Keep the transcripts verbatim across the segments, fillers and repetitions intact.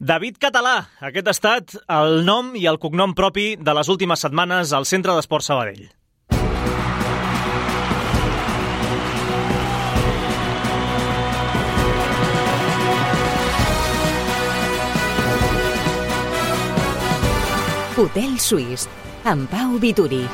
David Català, aquest ha estat el nom i el cognom propi de les últimes setmanes al Centre d'Esports Sabadell. Hotel Suís, amb Pau Vituri.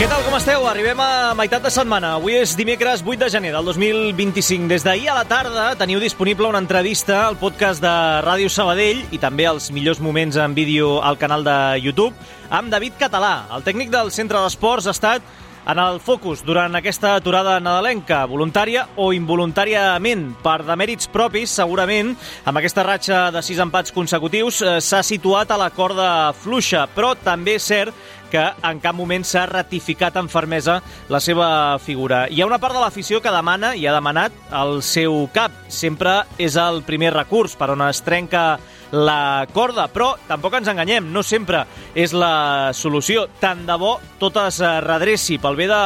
Què tal, com esteu? Arribem a meitat de setmana. Avui és dimecres vuit de gener del dos mil vint-i-cinc. Des d'ahir a la tarda teniu disponible una entrevista al podcast de Ràdio Sabadell i també els millors moments en vídeo al canal de YouTube amb David Català. El tècnic del Centre d'Esports ha estat en el focus durant aquesta aturada nadalenca, voluntària o involuntàriament, per demèrits propis, segurament, amb aquesta ratxa de sis empats consecutius, eh, s'ha situat a la corda fluixa, però també és cert que en cap moment s'ha ratificat amb fermesa la seva figura. Hi ha una part de l'afició que demana i ha demanat el seu cap. Sempre és el primer recurs per on es trenca la corda, però tampoc ens enganyem, no sempre és la solució. Tant de bo tot es redreci pel bé de,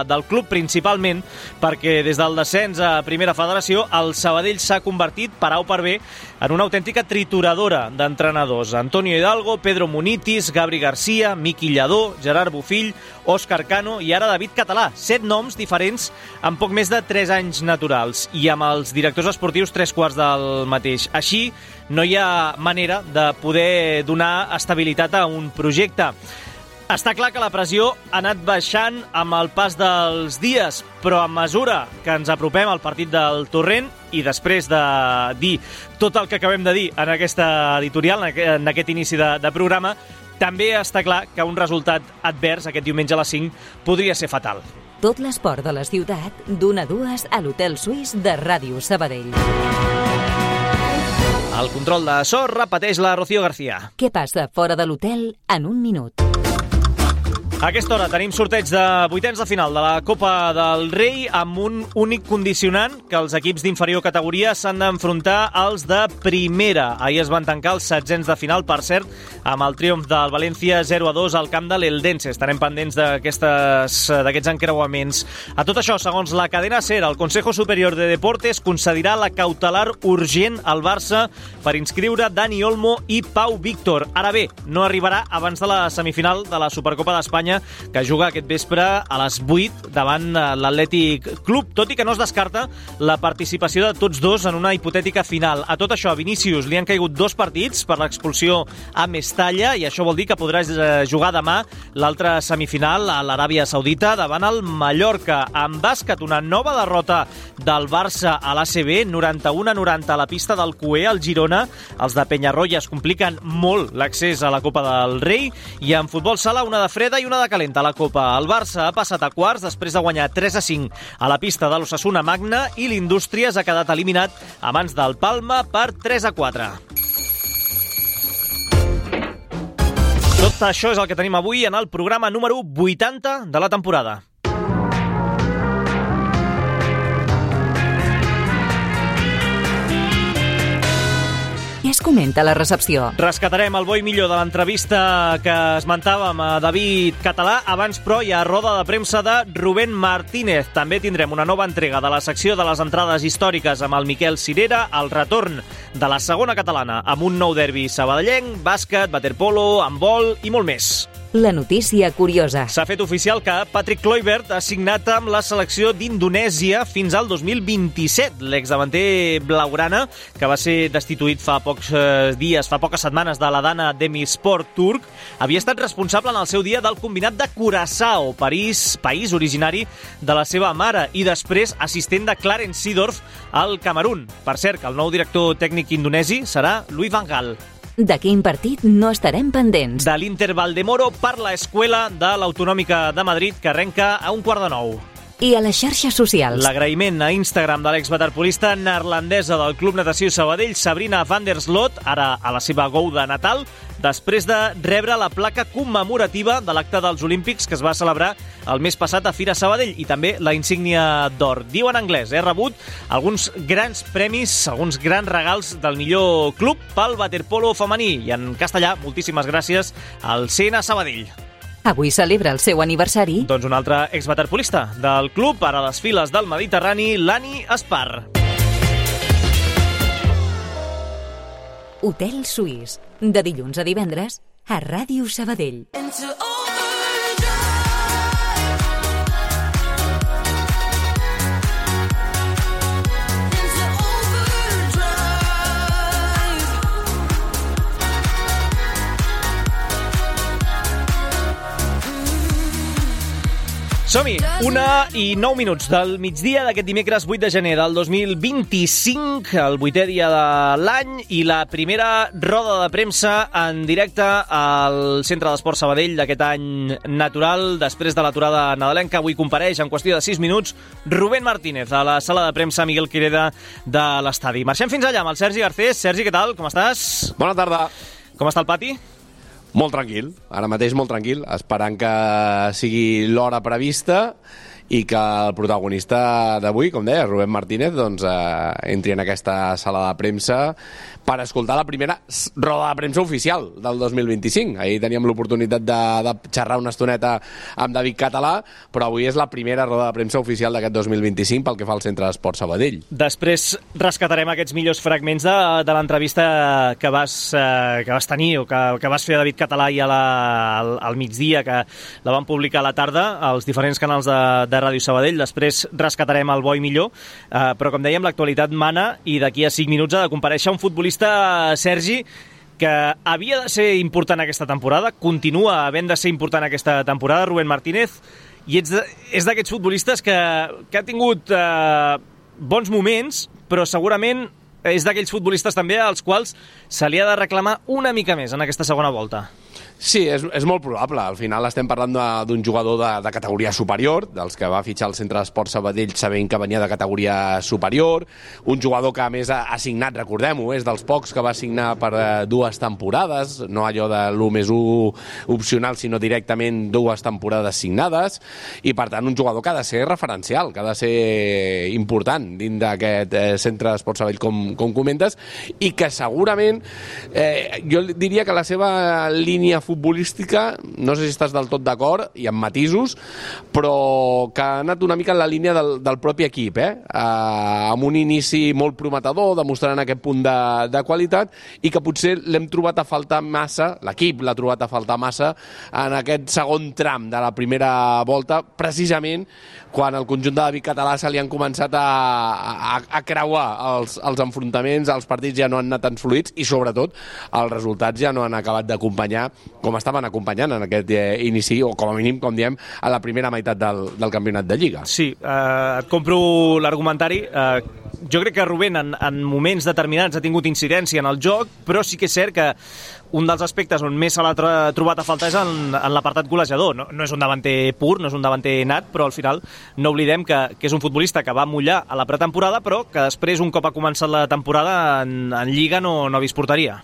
del club, principalment perquè des del descens a Primera Federació el Sabadell s'ha convertit, per A o per B, en una autèntica trituradora d'entrenadors. Antonio Hidalgo, Pedro Munitis, Gabri García, Miqui Lladó, Gerard Bofill, Òscar Cano i ara David Català. Set noms diferents en poc més de tres anys naturals i amb els directors esportius tres quarts del mateix. Així no hi ha manera de poder donar estabilitat a un projecte. Està clar que la pressió ha anat baixant amb el pas dels dies, però a mesura que ens apropem al partit del Torrent i després de dir tot el que acabem de dir en aquesta editorial, en aquest inici de, de programa, també està clar que un resultat advers aquest diumenge a les cinc podria ser fatal. Tot l'esport de la ciutat, d'una a dues a l'Hotel Suís de Ràdio Sabadell. El control de so repeteix la Rocío García. Què passa fora de l'hotel en un minut? A aquesta hora tenim sorteig de vuitens de final de la Copa del Rei amb un únic condicionant, que els equips d'inferior categoria s'han d'enfrontar als de primera. Ahir es van tancar els setzents de final, per cert, amb el triomf del València zero a dos al camp de l'Eldense. Estarem pendents d'aquests encreuaments. A tot això, segons la cadena SER, el Consejo Superior de Deportes concedirà la cautelar urgent al Barça per inscriure Dani Olmo i Pau Víctor. Ara bé, no arribarà abans de la semifinal de la Supercopa d'Espanya, que juga aquest vespre a les vuit davant l'Atlètic Club, tot i que no es descarta la participació de tots dos en una hipotètica final. A tot això, a Vinícius li han caigut dos partits per l'expulsió a Mestalla i això vol dir que podrà jugar demà l'altra semifinal a l'Aràbia Saudita davant el Mallorca. En bàsquet, una nova derrota del Barça a l'A C B, noranta-u a noranta a la pista del Cué al Girona. Els de Penyarroia es compliquen molt l'accés a la Copa del Rei i en futbol sala una de freda i una de calenta a la Copa. El Barça ha passat a quarts després de guanyar tres a cinc a la pista de l'Osasuna Magna i l'Indústries ha quedat eliminat a mans del Palma per tres a quatre. Tot això és el que tenim avui en el programa número vuitanta de la temporada. Què es comenta a la recepció? Rescatarem el bo i millor de l'entrevista que esmentàvem a David Català. Abans, però, hi ha roda de premsa de Rubén Martínez. També tindrem una nova entrega de la secció de les entrades històriques amb el Miquel Cirera, el retorn de la segona catalana amb un nou derbi sabadellenc, bàsquet, waterpolo, handbol i molt més. La notícia curiosa. S'ha fet oficial que Patrick Kluivert ha signat amb la selecció d'Indonèsia fins al dos mil vint-i-set. L'exdavanter blaugrana, que va ser destituït fa pocs dies, fa poques setmanes de la Dana Demisport turc, havia estat responsable en el seu dia del combinat de Curaçao, París, país originari de la seva mare, i després assistent de Clarence Seedorf al Camerún. Per cert, que el nou director tècnic indonesi serà Louis van Gaal. De quin partit no estarem pendents? De l'Inter Valdemoro per l'Escuela de l'Autonòmica de Madrid, que arrenca a un quart de nou. I a les xarxes socials. L'agraïment a Instagram de l'exwaterpolista neerlandesa del Club Natació Sabadell, Sabrina van der Sloot, ara a la seva gou de Natal, després de rebre la placa commemorativa de l'acte dels Olímpics que es va celebrar el mes passat a Fira Sabadell i també la insígnia d'or. Diu en anglès, he rebut alguns grans premis, alguns grans regals del millor club pel waterpolo femení i en castellà, moltíssimes gràcies al C N Sabadell. avui celebra el seu aniversari. Doncs un altre exwaterpolista del club, ara a les files del Mediterrani, l'Ani Espar. Hotel Suís, de dilluns a divendres, a Ràdio Sabadell. Som-hi! Una i nou minuts del migdia d'aquest dimecres vuit de gener del dos mil vint-i-cinc, el vuitè dia de l'any i la primera roda de premsa en directe al Centre d'Esport Sabadell d'aquest any natural. Després de l'aturada nadalenca, avui compareix en qüestió de sis minuts Rubén Martínez a la sala de premsa Miguel Quireda de l'estadi. Marxem fins allà amb el Sergi Garcés. Sergi, què tal? Com estàs? Bona tarda. Com està el pati? Molt tranquil, ara mateix molt tranquil, esperant que sigui l'hora prevista i que el protagonista d'avui, com deia, Rubén Martínez, doncs, eh, entri en aquesta sala de premsa per escoltar la primera roda de premsa oficial del dos mil vint-i-cinc. Ahir teníem l'oportunitat de, de xerrar una estoneta amb David Català, però avui és la primera roda de premsa oficial d'aquest dos mil vint-i-cinc pel que fa al Centre d'Esport Sabadell. Després rescatarem aquests millors fragments de, de l'entrevista que vas, eh, que vas tenir o que, que vas fer a David Català i a la, al, al migdia, que la van publicar a la tarda als diferents canals de, de Ràdio Sabadell. Després rescatarem el bo i millor, eh, però com dèiem, l'actualitat mana i d'aquí a cinc minuts ha de comparèixer un futbolista, Sergi, que havia de ser important aquesta temporada, continua havent de ser important aquesta temporada, Rubén Martínez, i ets de, és d'aquests futbolistes que, que ha tingut eh, bons moments, però segurament és d'aquells futbolistes també als quals se li ha de reclamar una mica més en aquesta segona volta. Sí, és, és molt probable. Al final estem parlant d'un jugador de, de categoria superior, dels que va fitxar al Centre d'Esport Sabadell sabent que venia de categoria superior, un jugador que a més ha, ha signat, recordem-ho, és dels pocs que va signar per eh, dues temporades, no allò de l'u més u opcional, sinó directament dues temporades signades, i per tant un jugador que ha de ser referencial, que ha de ser important dins d'aquest eh, Centre d'Esport Sabadell, com, com comentes, i que segurament eh, jo diria que la seva línia futbolística, no sé si estàs del tot d'acord i amb matisos, però que ha anat una mica en la línia del, del propi equip, eh? Eh, amb un inici molt prometedor, demostrant aquest punt de, de qualitat, i que potser l'hem trobat a faltar massa, l'equip l'ha trobat a faltar massa en aquest segon tram de la primera volta, precisament quan el conjunt de David Català se li han començat a, a, a creuar els, els enfrontaments, els partits ja no han anat tan fluïts i sobretot els resultats ja no han acabat d'acompanyar com estaven acompanyant en aquest eh, inici, o com a mínim, com diem, a la primera meitat del, del campionat de Lliga. Sí, eh, et compro l'argumentari. Eh, jo crec que Rubén en, en moments determinats ha tingut incidència en el joc, però sí que és cert que un dels aspectes on més se l'ha trobat a faltar és en, en l'apartat golejador. No, no és un davanter pur, no és un davanter nat, però al final no oblidem que, que és un futbolista que va mullar a la pretemporada, però que després, un cop ha començat la temporada, en, en Lliga no, no ha vist porteria.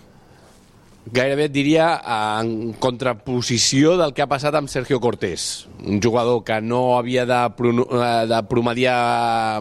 Gairebé et diria en contraposició del que ha passat amb Sergio Cortés, un jugador que no havia de, de promediar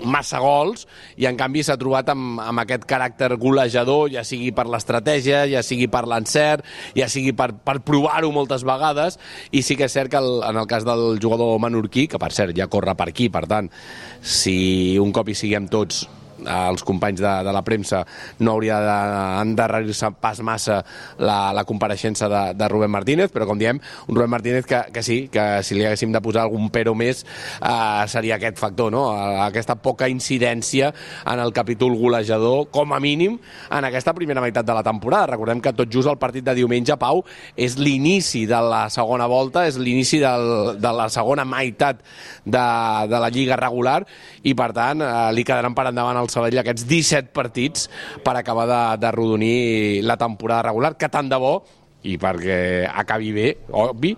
massa gols i en canvi s'ha trobat amb, amb aquest caràcter golejador, ja sigui per l'estratègia, ja sigui per l'encert, ja sigui per, per provar-ho moltes vegades, i sí que és cert que el, en el cas del jugador menorquí, que per cert ja corre per aquí, per tant, si un cop hi siguem tots els companys de, de la premsa no hauria d'endarrerir-se pas massa la, la compareixença de, de Rubén Martínez, però com diem, un Rubén Martínez que, que sí, que si li haguéssim de posar algun pero més eh, seria aquest factor, no? Aquesta poca incidència en el capítol golejador, com a mínim en aquesta primera meitat de la temporada. Recordem que tot just el partit de diumenge, Pau, és l'inici de la segona volta, és l'inici del, de la segona meitat de, de la Lliga regular, i per tant eh, li quedaran per endavant el Sabadell aquests disset partits per acabar de, de rodonir la temporada regular, que tant de bo, i perquè acabi bé, obvi,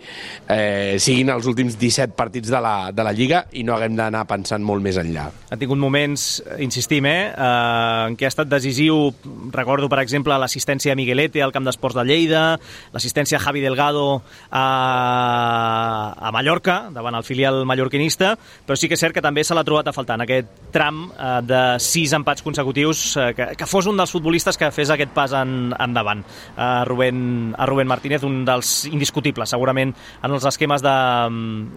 eh, siguin els últims disset partits de la, de la Lliga i no haguem d'anar pensant molt més enllà. Ha tingut moments, insistim, eh, eh, en què ha estat decisiu. Recordo, per exemple, l'assistència a Miguelete al Camp d'Esports de Lleida, l'assistència a Javi Delgado a, a Mallorca, davant el filial mallorquinista, però sí que és cert que també se l'ha trobat a faltar en aquest tram eh, de sis empats consecutius, eh, que, que fos un dels futbolistes que fes aquest pas en, endavant. Eh, Rubén, a Rubén Martínez, un dels indiscutibles, segurament, en els esquemes de,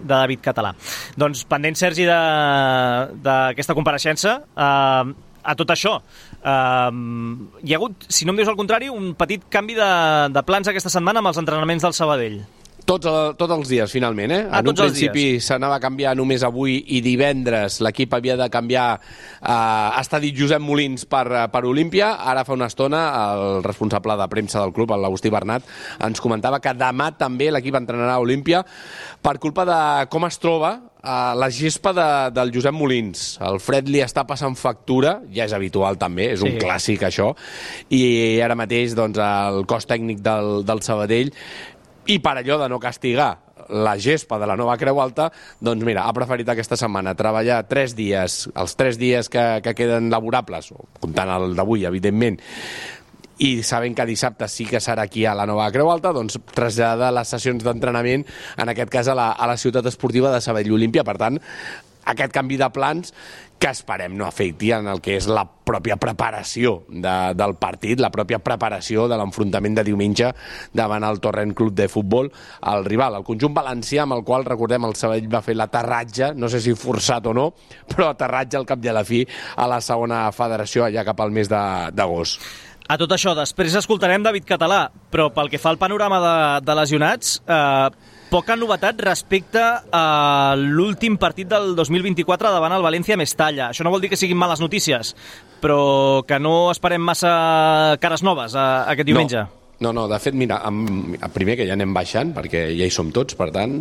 de David Català. Doncs pendent, Sergi, d'aquesta compareixença, eh, a tot això, eh, hi ha hagut, si no em dius el contrari, un petit canvi de, de plans aquesta setmana amb els entrenaments del Sabadell. Tots, tots els dies, finalment, eh? Ah, en un principi s'anava a canviar només avui i divendres l'equip havia de canviar eh, està dit Josep Molins per, per Olímpia. Ara fa una estona el responsable de premsa del club, l'Agustí Bernat, ens comentava que demà també l'equip entrenarà a Olímpia per culpa de com es troba eh, la gespa de, del Josep Molins. El fred li està passant factura, ja és habitual també, és un sí. clàssic això, i ara mateix doncs, el cos tècnic del, del Sabadell, i per allò de no castigar la gespa de la nova Creu Alta, doncs mira, ha preferit aquesta setmana treballar tres dies, els tres dies que, que queden laborables, comptant el d'avui, evidentment, i sabent que dissabte sí que serà aquí a la nova Creu Alta, doncs traslladar les sessions d'entrenament, en aquest cas a la, a la ciutat esportiva de Sabadell Olímpia. Per tant, aquest canvi de plans que esperem no afecti en el que és la pròpia preparació de, del partit, la pròpia preparació de l'enfrontament de diumenge davant el Torrent Club de Futbol, el rival, el conjunt valencià amb el qual, recordem, el Sabadell va fer l'aterratge, no sé si forçat o no, però aterratge al cap i a la fi a la segona federació allà cap al mes d'agost. A tot això, després escoltarem David Català, però pel que fa al panorama de, de lesionats, eh, poca novetat respecte a l'últim partit del dos mil vint-i-quatre davant el València-Mestalla. Això no vol dir que siguin males notícies, però que no esperem massa cares noves a, a aquest diumenge. No, no, no, de fet, mira, amb, primer que ja anem baixant, perquè ja hi som tots, per tant,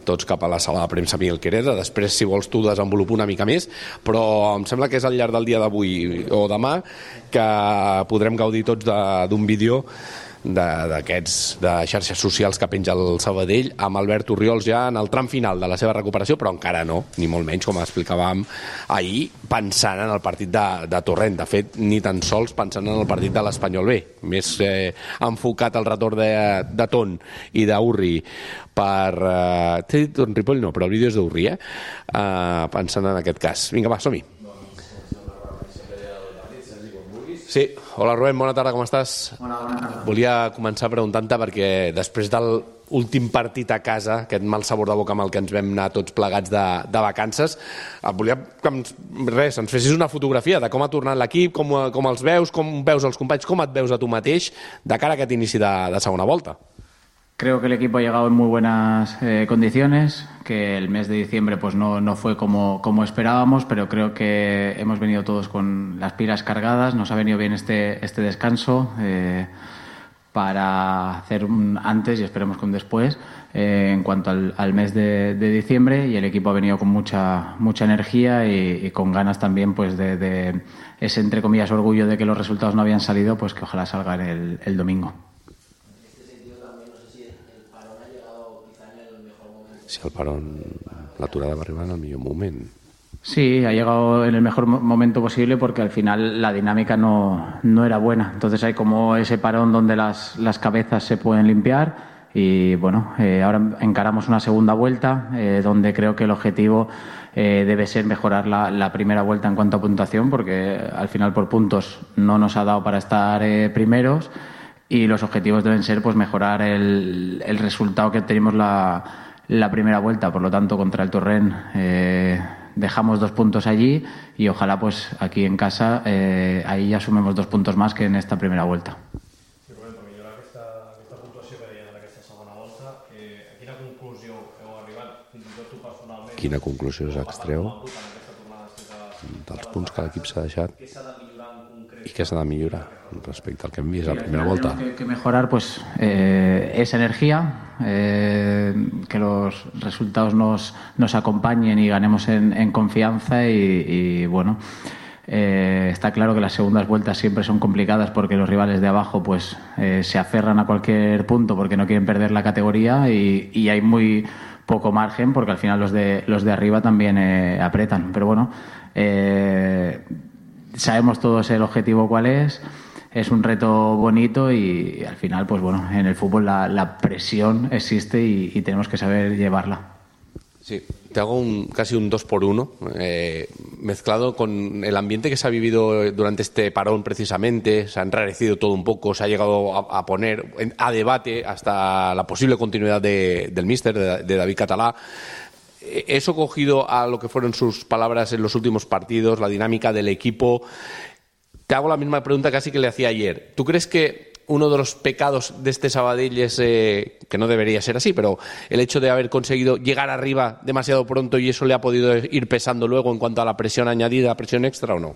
tots cap a la sala de premsa Miguel Quereda. Després, si vols, tu desenvolupa una mica més, però em sembla que és al llarg del dia d'avui o demà que podrem gaudir tots d'un vídeo d'aquests de, de xarxes socials que penja el Sabadell amb Albert Orriols ja en el tram final de la seva recuperació, però encara no, ni molt menys, com explicàvem ahir, pensant en el partit de, de Torrent. De fet, ni tan sols pensant en el partit de l'Espanyol B, més eh, enfocat al retorn de, de Ton i d'Urri per... Eh, t'he dit un Ripoll, no, però el vídeo és d'Urri, eh? eh? Pensant en aquest cas. Vinga, va, som-hi. Sí, hola Rubén, bona tarda, com estàs? Hola, bona tarda. Volia començar preguntant-te perquè després del últim partit a casa, aquest mal sabor de boca amb el que ens vam anar tots plegats de, de vacances, et volia que ens, res, ens fessis una fotografia de com ha tornat l'equip, com, com els veus, com veus els companys, com et veus a tu mateix de cara a aquest inici de, de segona volta. Creo que el equipo ha llegado en muy buenas eh, condiciones, que el mes de diciembre pues no, no fue como, como esperábamos, pero creo que hemos venido todos con las pilas cargadas, nos ha venido bien este, este descanso eh, para hacer un antes y esperemos que un después eh, en cuanto al, al mes de, de diciembre, y el equipo ha venido con mucha, mucha energía y, y con ganas también pues de, de ese, entre comillas, orgullo de que los resultados no habían salido, pues que ojalá salgan el, el domingo. Si el parón, l'aturada va arribar en el millor moment. Sí, ha llegado en el mejor momento posible porque al final la dinámica no, no era buena. Entonces hay como ese parón donde las, las cabezas se pueden limpiar y bueno, eh, ahora encaramos una segunda vuelta eh, donde creo que el objetivo eh, debe ser mejorar la, la primera vuelta en cuanto a puntuación, porque al final por puntos no nos ha dado para estar eh, primeros, y los objetivos deben ser pues mejorar el, el resultado que tenemos la la primera vuelta. Por lo tanto, contra el Torrent eh, dejamos dos puntos allí y ojalá pues aquí en casa eh, ahí ya sumemos dos puntos más que en esta primera vuelta. Sí, Rubén, per millorar aquesta, aquesta puntuació que deien en aquesta segona volta, eh, a quina conclusió heu arribat, fins i tot tu personalment? Quina conclusió s'extreu dels punts que l'equip s'ha deixat i què s'ha de millorar respecte al que hem vist a la primera volta? Que, que mejorar pues eh, esa energía, eh, que los resultados nos, nos acompañen y ganemos en, en confianza y, y bueno, eh, está claro que las segundas vueltas siempre son complicadas porque los rivales de abajo pues eh, se aferran a cualquier punto porque no quieren perder la categoría y, y hay muy poco margen porque al final los de, los de arriba también eh, apretan, pero bueno, eh, sabemos todos el objetivo cuál es. Es un reto bonito y, y al final, pues bueno, en el fútbol la, la presión existe y, y tenemos que saber llevarla. Sí, te hago un, casi un dos por uno, eh, mezclado con el ambiente que se ha vivido durante este parón precisamente. Se ha enrarecido todo un poco, se ha llegado a, a poner a debate hasta la posible continuidad de, del míster, de, de David Català. Eso cogido a lo que fueron sus palabras en los últimos partidos, la dinámica del equipo. Te hago la misma pregunta casi que le hacía ayer. ¿Tú crees que uno de los pecados de este Sabadell es, eh, que no debería ser así, pero el hecho de haber conseguido llegar arriba demasiado pronto y eso le ha podido ir pesando luego en cuanto a la presión añadida, presión extra o no?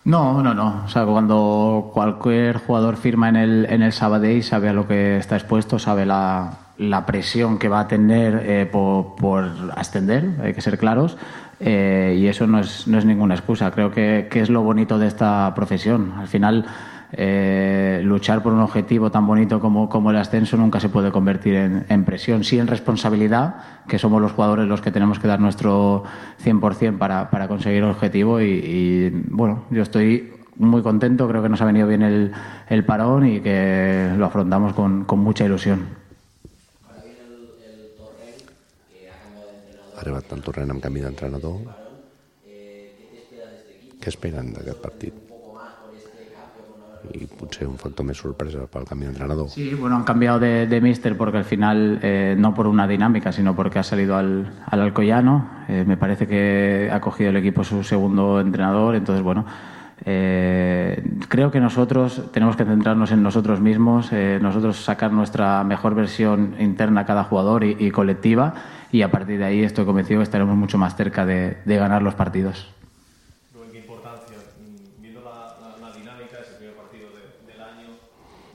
No, no, no. O sea, cuando cualquier jugador firma en el, en el Sabadell sabe a lo que está expuesto, sabe la, la presión que va a tener eh, por, por ascender, hay que ser claros. Eh, y eso no es, no es ninguna excusa. Creo que, que es lo bonito de esta profesión. Al final, eh, luchar por un objetivo tan bonito como, como el ascenso nunca se puede convertir en, en presión, sí en responsabilidad, que somos los jugadores los que tenemos que dar nuestro cien por ciento para, para conseguir el objetivo. Y, y bueno, yo estoy muy contento, creo que nos ha venido bien el, el parón y que lo afrontamos con, con mucha ilusión. Ha arribat el Torrent amb canvi d'entrenador. Què esperen d'aquest partit? Y potser un factor més sorpresa pel canvi d'entrenador. Sí, bueno, han cambiado de, de míster porque al final, eh, no por una dinámica, sino porque ha salido al, al Alcoyano. Eh, me parece que ha cogido el equipo su segundo entrenador, entonces, bueno, eh, creo que nosotros tenemos que centrarnos en nosotros mismos, eh, nosotros sacar nuestra mejor versión interna cada jugador y, y colectiva, y a partir de ahí estoy convencido que estaremos mucho más cerca de, de ganar los partidos. ¿Qué importancia? Viendo la, la, la dinámica de ese primer partido de, del año,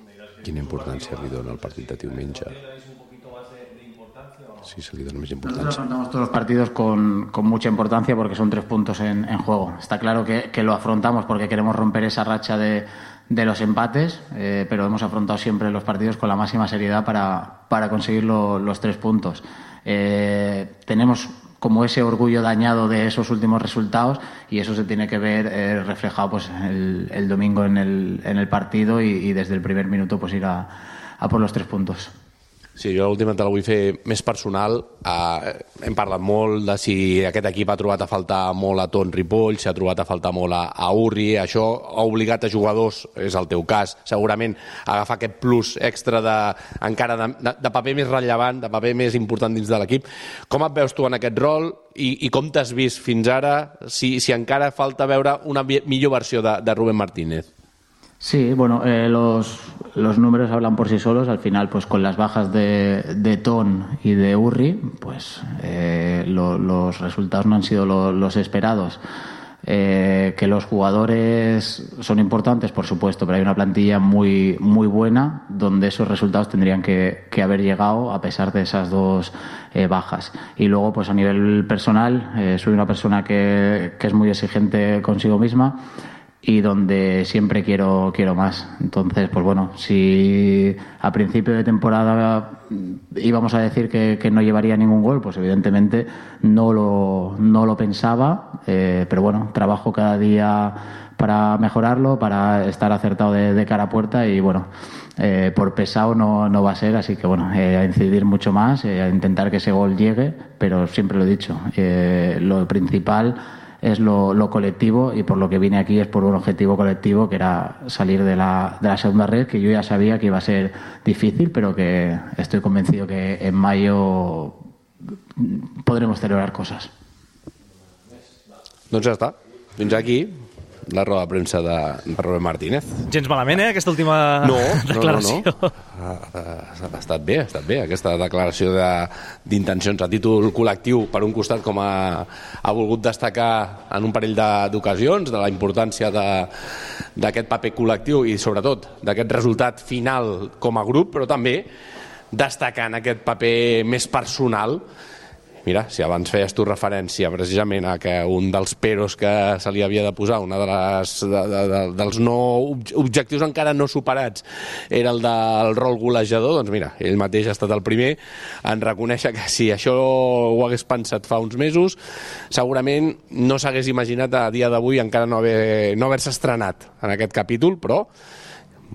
me dirás que... Quina importància li dona el partit de diumenge? ¿Un poquito más de, de importancia o no? Sí, se li dona més Nosotros importància. afrontamos todos los partidos con, con mucha importancia porque son tres puntos en, en juego. Está claro que, que lo afrontamos porque queremos romper esa racha de, de los empates, eh, pero hemos afrontado siempre los partidos con la máxima seriedad para, para conseguir lo, los tres puntos. Eh, tenemos como ese orgullo dañado de esos últimos resultados y eso se tiene que ver eh, reflejado pues el, el domingo en el, en el partido y, y desde el primer minuto pues ir a, a por los tres puntos. Sí, jo l'última te la vull fer més personal. Uh, hem parlat molt de si aquest equip ha trobat a faltar molt a Ton Ripoll, si ha trobat a faltar molt a, a Urri. Això ha obligat a jugadors, és el teu cas, segurament a agafar aquest plus extra de, encara de, de, de paper més rellevant, de paper més important dins de l'equip. Com et veus tu en aquest rol i, i com t'has vist fins ara, si, si encara falta veure una millor versió de, de Rubén Martínez? Sí, bueno, eh, los, los números hablan por sí solos. Al final, pues con las bajas de, de Ton y de Urri, pues eh, lo, los resultados no han sido lo, los esperados. Eh, que los jugadores son importantes, por supuesto, pero hay una plantilla muy, muy buena donde esos resultados tendrían que, que haber llegado a pesar de esas dos eh, bajas. Y luego, pues a nivel personal, eh, soy una persona que, que es muy exigente consigo misma y donde siempre quiero quiero más. Entonces, pues bueno, si a principio de temporada íbamos a decir que, que no llevaría ningún gol, pues evidentemente no lo, no lo pensaba, eh, pero bueno, trabajo cada día para mejorarlo, para estar acertado de, de cara a puerta y bueno, eh, por pesado no, no va a ser, así que bueno, eh, a incidir mucho más, eh, a intentar que ese gol llegue, pero siempre lo he dicho, eh, lo principal es lo, lo colectivo y por lo que vine aquí es por un objetivo colectivo que era salir de la, de la segunda red, que yo ya sabía que iba a ser difícil, pero que estoy convencido que en mayo podremos celebrar cosas. Doncs ja està. Fins aquí la roda de premsa de, de Rubén Martínez. Gens malament, eh, aquesta última no, declaració. No, no, no. Ha, ha, ha estat bé, ha estat bé aquesta declaració de, d'intencions a títol col·lectiu. Per un costat, com ha, ha volgut destacar en un parell de, d'ocasions de la importància de, d'aquest paper col·lectiu i sobretot d'aquest resultat final com a grup, però també destacant aquest paper més personal. Mira, si abans feies tu referència precisament a que un dels peros que se li havia de posar, una de les, de, de, de, dels no objectius encara no superats, era el del rol golejador, doncs mira, ell mateix ha estat el primer en reconèixer que si això ho hagués pensat fa uns mesos, segurament no s'hagués imaginat a dia d'avui encara no, haver, no haver-se estrenat en aquest capítol, però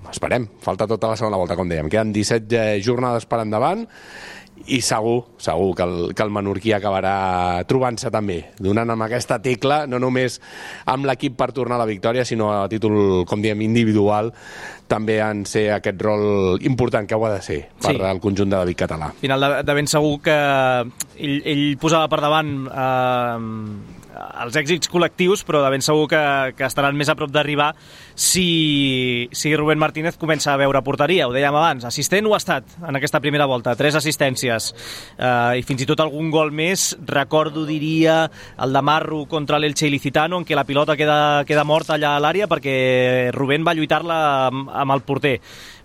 esperem, falta tota la segona volta, com dèiem. Queden disset jornades per endavant i segur, segur que el, que el menorquí acabarà trobant-se també, donant amb aquesta tecla, no només amb l'equip per tornar a la victòria, sinó a títol, com diem, individual, també en ser aquest rol important que ho ha de ser per sí. al conjunt de David Català. Al final, de, de ben segur que ell, ell posava per davant eh, els èxits col·lectius, però de ben segur que, que estaran més a prop d'arribar si, si Rubén Martínez comença a veure porteria. Ho dèiem abans, assistent ho ha estat en aquesta primera volta, tres assistències eh, i fins i tot algun gol més. Recordo, diria, el de Marro contra l'Elche Ilicitano, en què la pilota queda, queda morta allà a l'àrea perquè Rubén va lluitar-la amb, amb el porter,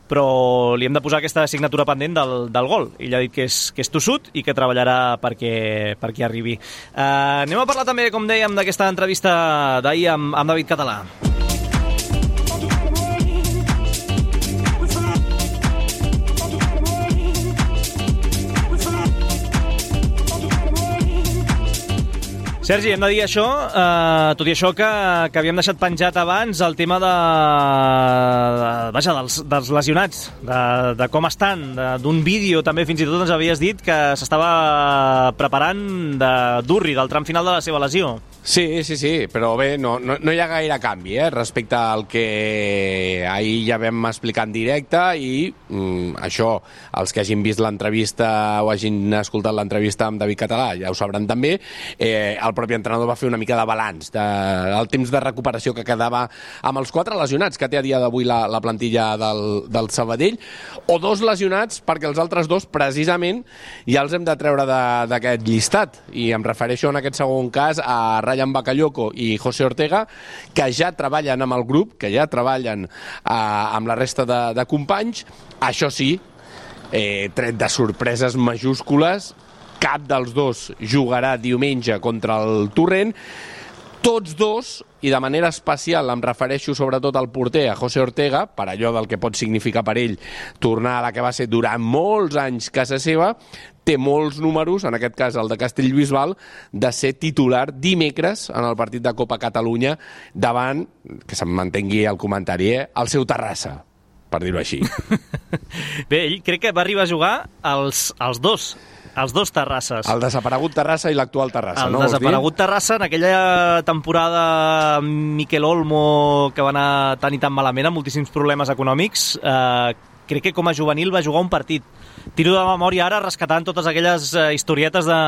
però li hem de posar aquesta assignatura pendent del, del gol. Ell ha dit que és, que és tossut i que treballarà perquè, perquè arribi. Uh, anem a parlar també, com dèiem, d'aquesta entrevista d'ahir amb, amb David Català. Sergi, hem de dir això, eh, tot i això que, que havíem deixat penjat abans el tema de, de, vaja, dels, dels lesionats, de, de com estan, d'un vídeo també fins i tot ens havies dit que s'estava preparant de Durri, del tram final de la seva lesió. Sí, sí, sí, però bé, no, no, no hi ha gaire canvi eh, respecte al que ahir ja vam explicar en directe i mm, això, els que hagin vist l'entrevista o hagin escoltat l'entrevista amb David Català ja ho sabran també, eh, el propi entrenador va fer una mica de balanç de, del temps de recuperació que quedava amb els quatre lesionats que té a dia d'avui la, la plantilla del, del Sabadell, o dos lesionats perquè els altres dos precisament ja els hem de treure d'aquest llistat, i em refereixo en aquest segon cas a Ryan Bakayoko i José Ortega, que ja treballen amb el grup, que ja treballen eh, amb la resta de, de companys. Això sí, eh, tret de sorpreses majúscules, cap dels dos jugarà diumenge contra el Torrent. Tots dos, i de manera especial em refereixo sobretot al porter, a José Ortega, per allò del que pot significar per ell tornar a la que va ser durant molts anys casa seva, té molts números, en aquest cas el de Castellbisbal, de ser titular dimecres en el partit de Copa Catalunya davant, que se'm mantengui el comentari, eh, el seu Terrassa, per dir-ho així. Bé, ell crec que va arribar a jugar els, els dos, els dos Terrasses. El desaparegut Terrassa i l'actual Terrassa, el no? El desaparegut Terrassa, en aquella temporada Miquel Olmo, que va anar tan i tan malament, amb moltíssims problemes econòmics, eh, crec que com a juvenil va jugar un partit. Tiro de memòria ara rescatant totes aquelles eh, historietes de,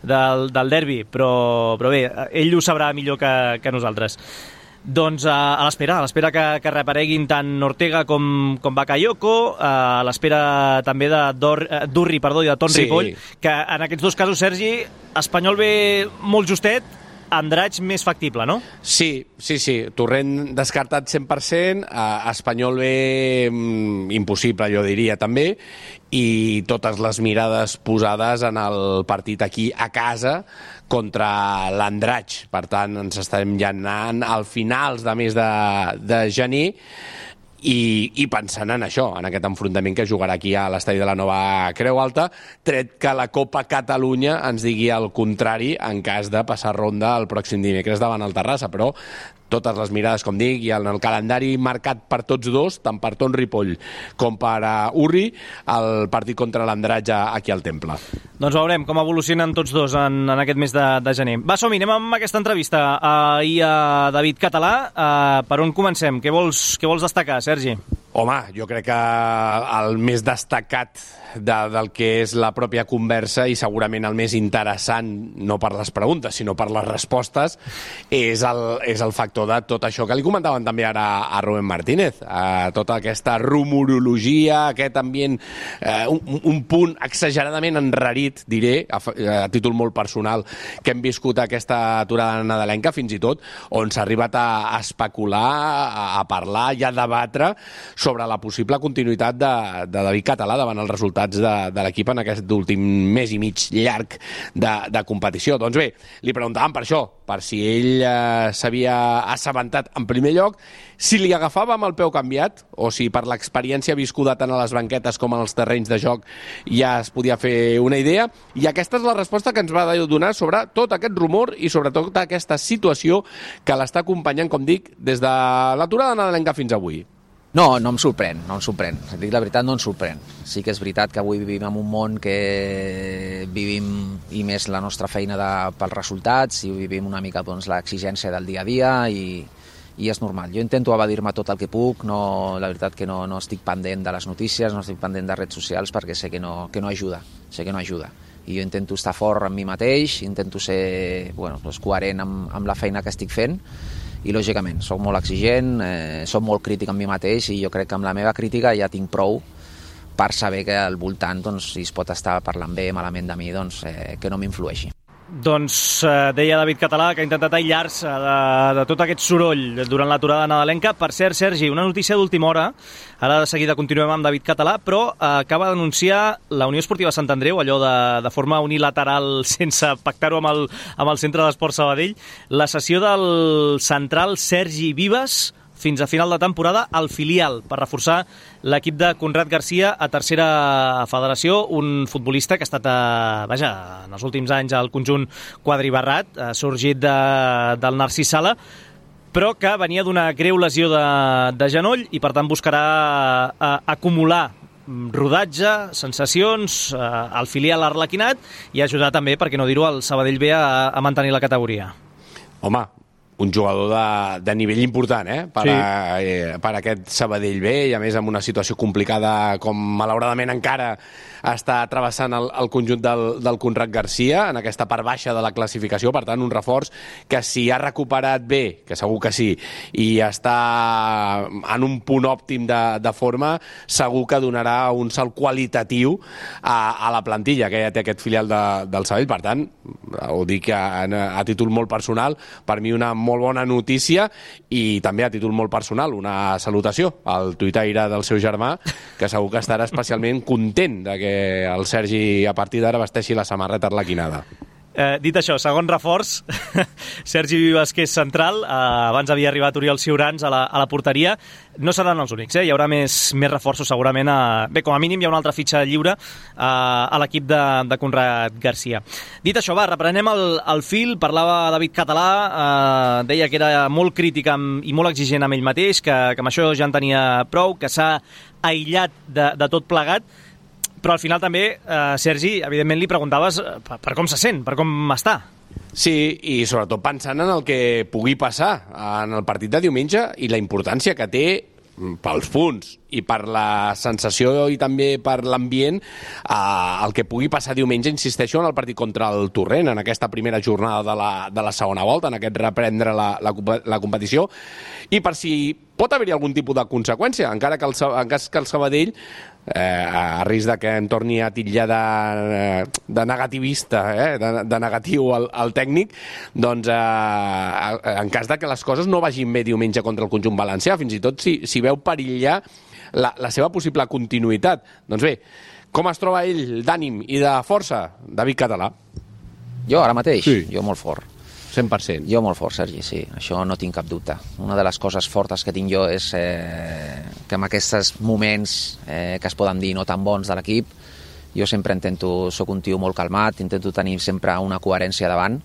del, del derbi, però, però bé, ell ho sabrà millor que, que nosaltres. Doncs a, a l'espera, a l'espera que, que reapareguin tant Ortega com, com Bakayoko, a l'espera també de Dor, Durri perdó, i de Ton sí. Ripoll, que en aquests dos casos, Sergi, Espanyol ve molt justet, Andratx més factible, no? Sí, sí, sí. Torrent descartat cent per cent, eh, Espanyol ve mm, impossible, jo diria, també, i totes les mirades posades en el partit aquí a casa contra l'Andratx. Per tant, ens estarem ja anant al finals de mes de, de gener, I, i pensant en això, en aquest enfrontament que jugarà aquí a l'estadi de la Nova Creu Alta, tret que la Copa Catalunya ens digui el contrari en cas de passar ronda el pròxim dimecres davant el Terrassa, però totes les mirades, com dic, i en el calendari marcat per tots dos, tant per Ton Ripoll com per uh, Urri, el partit contra l'Andratx aquí al Temple. Doncs veurem com evolucionen tots dos en, en aquest mes de, de gener. Va, som-hi, anem amb aquesta entrevista ahir a David Català. Uh, per on comencem? Què vols, què vols destacar, Sergi? Home, jo crec que el més destacat de, del que és la pròpia conversa i segurament el més interessant, no per les preguntes, sinó per les respostes, és el, és el factor de tot això que li comentaven també ara a Rubén Martínez, a tota aquesta rumorologia, aquest ambient, eh, un, un punt exageradament enrarit, diré, a, a títol molt personal, que hem viscut aquesta aturada nadalenca, fins i tot, on s'ha arribat a, a especular, a, a parlar i a debatre sobre la possible continuïtat de, de David Català davant els resultats de, de l'equip en aquest últim mes i mig llarg de, de competició. Doncs bé, li preguntàvem per això, per si ell eh, s'havia assabentat en primer lloc, si li agafava amb el peu canviat o si per l'experiència viscuda tant a les banquetes com als terrenys de joc ja es podia fer una idea, i aquesta és la resposta que ens va donar sobre tot aquest rumor i sobre tota aquesta situació que l'està acompanyant, com dic, des de l'aturada nadalenca fins avui. No, no em sorprèn, no em sorprèn. Si dic la veritat, no em sorprèn. Sí que és veritat que avui vivim en un món que vivim, i més la nostra feina de, pels resultats, i vivim una mica doncs, l'exigència del dia a dia, i, i és normal. Jo intento evadir-me tot el que puc, no, la veritat que no, no estic pendent de les notícies, no estic pendent de redes socials, perquè sé que no, que no ajuda, sé que no ajuda. I jo intento estar fort amb mi mateix, intento ser bueno, doncs coherent amb, amb la feina que estic fent, i lògicament soc molt exigent, eh, soc molt crític amb mi mateix, i jo crec que amb la meva crítica ja tinc prou per saber que al voltant, doncs, si es pot estar parlant bé, malament de mi, doncs, eh, que no m'influeixi. Doncs eh, deia David Català que ha intentat aïllar-se de, de tot aquest soroll durant l'aturada nadalenca. Per cert, Sergi, una notícia d'última hora, ara de seguida continuem amb David Català, però eh, acaba d'anunciar la Unió Esportiva Sant Andreu, allò de, de forma unilateral, sense pactar-ho amb, el, amb el Centre d'Esport Sabadell, la cessió del central Sergi Vives fins a final de temporada al filial per reforçar l'equip de Conrad Garcia a tercera federació, un futbolista que ha estat, eh, vaja, en els últims anys al conjunt quadribarrat, ha sorgit de, del Narcís Sala, però que venia d'una greu lesió de, de genoll i per tant buscarà eh, acumular rodatge, sensacions eh, al filial arlequinat i ajudar també, per què no dir-ho, al Sabadell B a, a mantenir la categoria. Home, un jugador de, de nivell important, eh? Per, sí. a, eh, per a aquest Sabadell B, i a més amb una situació complicada com malauradament encara està travessant el, el conjunt del, del Conrad Garcia en aquesta part baixa de la classificació. Per tant, un reforç que si ha recuperat bé, que segur que sí, i està en un punt òptim de, de forma, segur que donarà un salt qualitatiu a, a la plantilla que ja té aquest filial de, del Sabadell. Per tant, ho dic a, a títol molt personal, per mi una molt bona notícia, i també a títol molt personal una salutació al tuitaire del seu germà, que segur que estarà especialment content de que el Sergi a partir d'ara vesteixi la samarreta arlequinada. Eh, dit això, segon reforç, Sergi Vives, que és central, eh, abans havia arribat Oriol Ciurans a la, a la porteria. No seran els únics, eh? Hi haurà més, més reforços segurament. A... Bé, com a mínim hi ha una altra fitxa lliure eh, a l'equip de, de Conrad Garcia. Dit això, va, reprenem el, el fil. Parlava David Català, eh, deia que era molt crític amb, i molt exigent amb ell mateix, que, que amb això ja en tenia prou, que s'ha aïllat de, de tot plegat. Però al final també, eh, Sergi, evidentment li preguntaves per, per com se sent, per com està. Sí, i sobretot pensant en el que pugui passar en el partit de diumenge i la importància que té pels punts i per la sensació i també per l'ambient eh, el que pugui passar diumenge, insisteixo, en el partit contra el Torrent, en aquesta primera jornada de la, de la segona volta, en aquest reprendre la, la, la competició, i per si pot haver-hi algun tipus de conseqüència, encara que el, en cas que el Sabadell, eh, a risc de que em torni a titllar de, de negativista, eh, de, de negatiu al, al tècnic, doncs eh, en cas de que les coses no vagin bé diumenge contra el conjunt valencià, fins i tot si, si veu perillar la, la seva possible continuïtat. Doncs bé, com es troba ell d'ànim i de força, David Català? Jo ara mateix? Sí. Jo molt fort. cent per cent. Jo molt fort, Sergi, sí. Això no tinc cap dubte. Una de les coses fortes que tinc jo és eh, que en aquests moments eh, que es poden dir no tan bons de l'equip, jo sempre intento, soc un tio molt calmat, intento tenir sempre una coherència davant,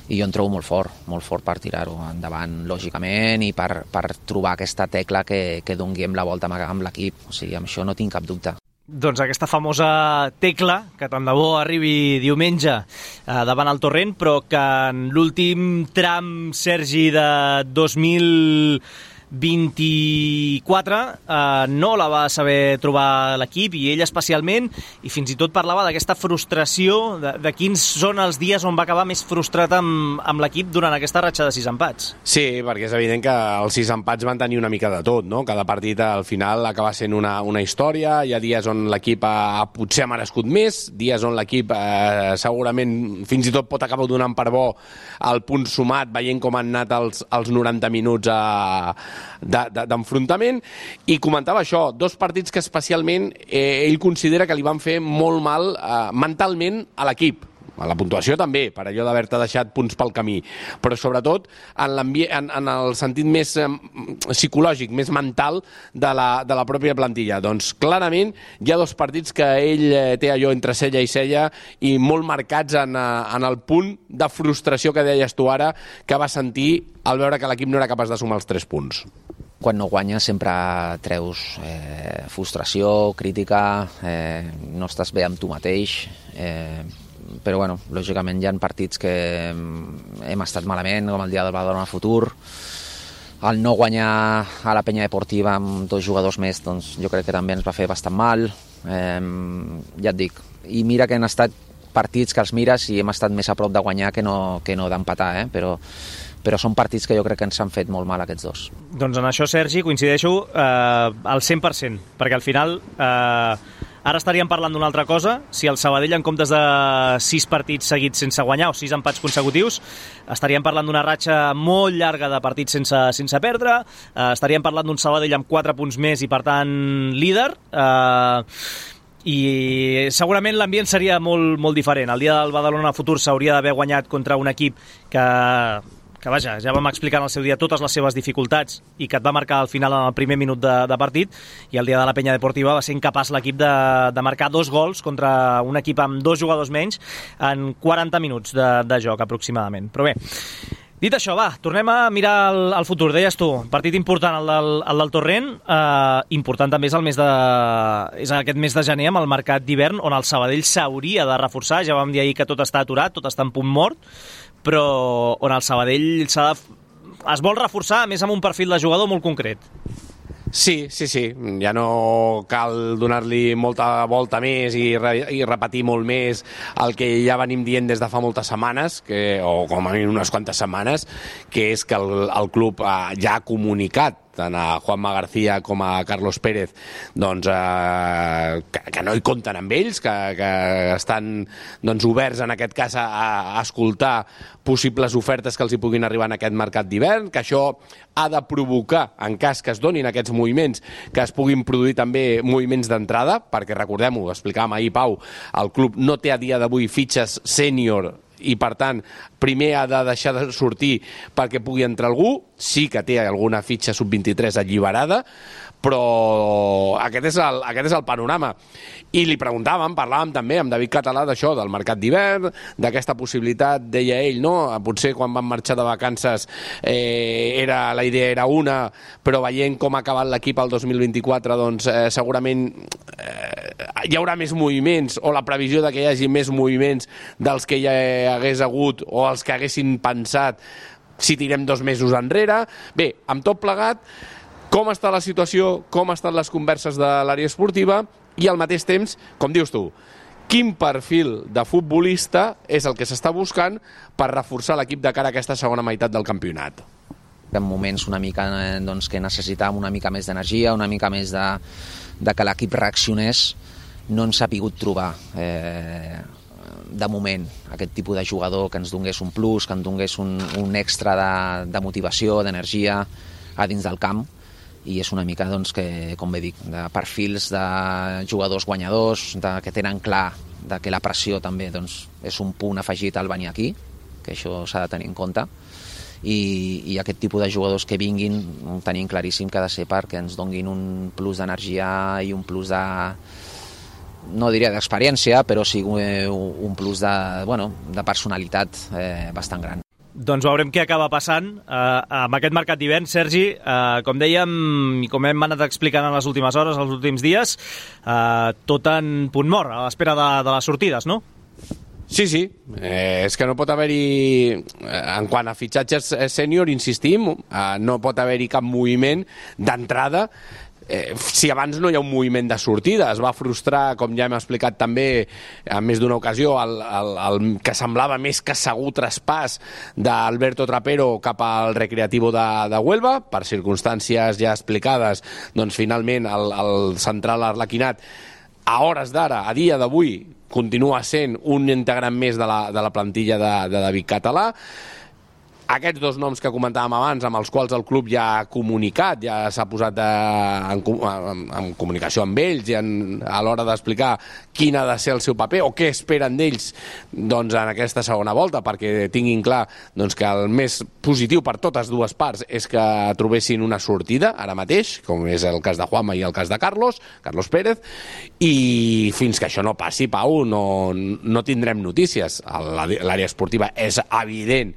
i jo em trobo molt fort, molt fort per tirar-ho endavant, lògicament, i per, per trobar aquesta tecla que, que doni la volta amb l'equip. O sigui, amb això no tinc cap dubte. Doncs aquesta famosa tecla, que tant de bo arribi diumenge eh, davant el Torrent, però que en l'últim tram, Sergi, de dos mil vint-i-quatre eh, no la va saber trobar l'equip, i ell especialment, i fins i tot parlava d'aquesta frustració, de, de quins són els dies on va acabar més frustrat amb, amb l'equip durant aquesta ratxa de sis empats. Sí, perquè és evident que els sis empats van tenir una mica de tot, no? Cada partit al final acaba sent una, una història, hi ha dies on l'equip ha, potser ha merescut més, dies on l'equip eh, segurament fins i tot pot acabar donant per bo el punt sumat, veient com han anat els, els noranta minuts a d'enfrontament, i comentava això, dos partits que especialment eh, ell considera que li van fer molt mal eh, mentalment a l'equip. A la puntuació també, per allò d'haver-te deixat punts pel camí, però sobretot en, en, en el sentit més eh, psicològic, més mental de la, de la pròpia plantilla. Doncs clarament hi ha dos partits que ell eh, té allò entre cella i cella i molt marcats en, en el punt de frustració que deies tu ara, que va sentir al veure que l'equip no era capaç de sumar els tres punts. quan no guanyes sempre treus eh, frustració, crítica, eh, no estàs bé amb tu mateix, eh, però bueno, lògicament hi ha partits que hem estat malament, com el dia del Badalona Futur. El no guanyar a la Penya Deportiva amb dos jugadors més, doncs jo crec que també ens va fer bastant mal. Eh, ja et dic, i mira que han estat partits que els mires i hem estat més a prop de guanyar que no, que no d'empatar, eh? però, però són partits que jo crec que ens han fet molt mal aquests dos. Doncs en això, Sergi, coincideixo eh, al cent per cent, perquè al final eh, ara estaríem parlant d'una altra cosa. Si el Sabadell, en comptes de sis partits seguits sense guanyar o sis empats consecutius, estaríem parlant d'una ratxa molt llarga de partits sense, sense perdre, eh, estaríem parlant d'un Sabadell amb quatre punts més i, per tant, líder, eh, i segurament l'ambient seria molt, molt diferent. El dia del Badalona Futur s'hauria d'haver guanyat contra un equip que, que vaja, ja vam explicar en el seu dia totes les seves dificultats i que et va marcar al final en el primer minut de, de partit, i el dia de la Penya Deportiva va ser incapaç l'equip de, de marcar dos gols contra un equip amb dos jugadors menys en quaranta minuts de, de joc aproximadament. Però bé, dit això, va, tornem a mirar el, el futur. Deies tu, partit important el del, el del Torrent, eh, important també és el mes de, és aquest mes de gener amb el mercat d'hivern, on el Sabadell s'hauria de reforçar. Ja vam dir ahir que tot està aturat, tot està en punt mort, però on el Sabadell s'ha de, es vol reforçar, a més amb un perfil de jugador molt concret. Sí, sí, sí. Ja no cal donar-li molta volta més i, re, i repetir molt més el que ja venim dient des de fa moltes setmanes, que, o com a mínim unes quantes setmanes, que és que el, el club eh, ja ha comunicat tant a Juanma García com a Carlos Pérez, doncs, eh, que, que no hi compten amb ells, que, que estan doncs, oberts en aquest cas a, a escoltar possibles ofertes que els hi puguin arribar en aquest mercat d'hivern, que això ha de provocar, en cas que es donin aquests moviments, que es puguin produir també moviments d'entrada, perquè recordem-ho, explicàvem ahir, Pau, el club no té a dia d'avui fitxes sènior i, per tant, primer ha de deixar de sortir perquè pugui entrar algú. Sí que té alguna fitxa sub vint-i-tres alliberada, però aquest és el, aquest és el panorama. I li preguntàvem, parlàvem també amb David Català d'això, del mercat d'hivern, d'aquesta possibilitat, deia ell, no? Potser quan van marxar de vacances eh, era, la idea era una, però veient com ha acabat l'equip el dos mil vint-i-quatre, doncs eh, segurament eh, hi haurà més moviments, o la previsió de que hi hagi més moviments dels que hi hagués hagut o els que haguessin pensat si tirem dos mesos enrere. Bé, amb tot plegat, com està la situació, com estan les converses de l'àrea esportiva i al mateix temps, com dius tu, quin perfil de futbolista és el que s'està buscant per reforçar l'equip de cara a aquesta segona meitat del campionat. En moments una mica doncs, que necessitàvem una mica més d'energia, una mica més de, de que l'equip reaccionés, no ens ha pogut trobar eh, de moment aquest tipus de jugador que ens donés un plus, que ens donés un, un extra de, de motivació, d'energia a dins del camp. I és una mica, doncs, que, com bé dic, de perfils de jugadors guanyadors, de, que tenen clar de que la pressió també doncs, és un punt afegit al venir aquí, que això s'ha de tenir en compte, i, i aquest tipus de jugadors que vinguin tenim claríssim que ha de ser perquè ens donguin un plus d'energia i un plus de, no diria d'experiència, però sí un plus de, bueno, de personalitat eh, bastant gran. Doncs veurem què acaba passant eh, amb aquest mercat d'hivern, Sergi. Eh, com dèiem i com hem anat explicant en les últimes hores, els últims dies, eh, tot en punt mort, a l'espera de, de les sortides, no? Sí, sí. Eh, és que no pot haver-hi, en quant a fitxatges sènior, insistim, eh, no pot haver-hi cap moviment d'entrada. Eh, si abans no hi ha un moviment de sortida, es va frustrar, com ja hem explicat també en més d'una ocasió, el, el, el que semblava més que segur traspàs d'Alberto Trapero cap al Recreativo de, de Huelva, per circumstàncies ja explicades, doncs finalment el, el central arlequinat a hores d'ara, a dia d'avui, continua sent un integrant més de la, de la plantilla de, de David Català. Aquests dos noms que comentàvem abans, amb els quals el club ja ha comunicat, ja s'ha posat de, en, en, en comunicació amb ells i en, a l'hora d'explicar quin ha de ser el seu paper o què esperen d'ells doncs, en aquesta segona volta, perquè tinguin clar doncs, que el més positiu per totes dues parts és que trobessin una sortida ara mateix, com és el cas de Juanma i el cas de Carlos, Carlos Pérez, i fins que això no passi, Pau, no, no tindrem notícies. L'àrea esportiva és evident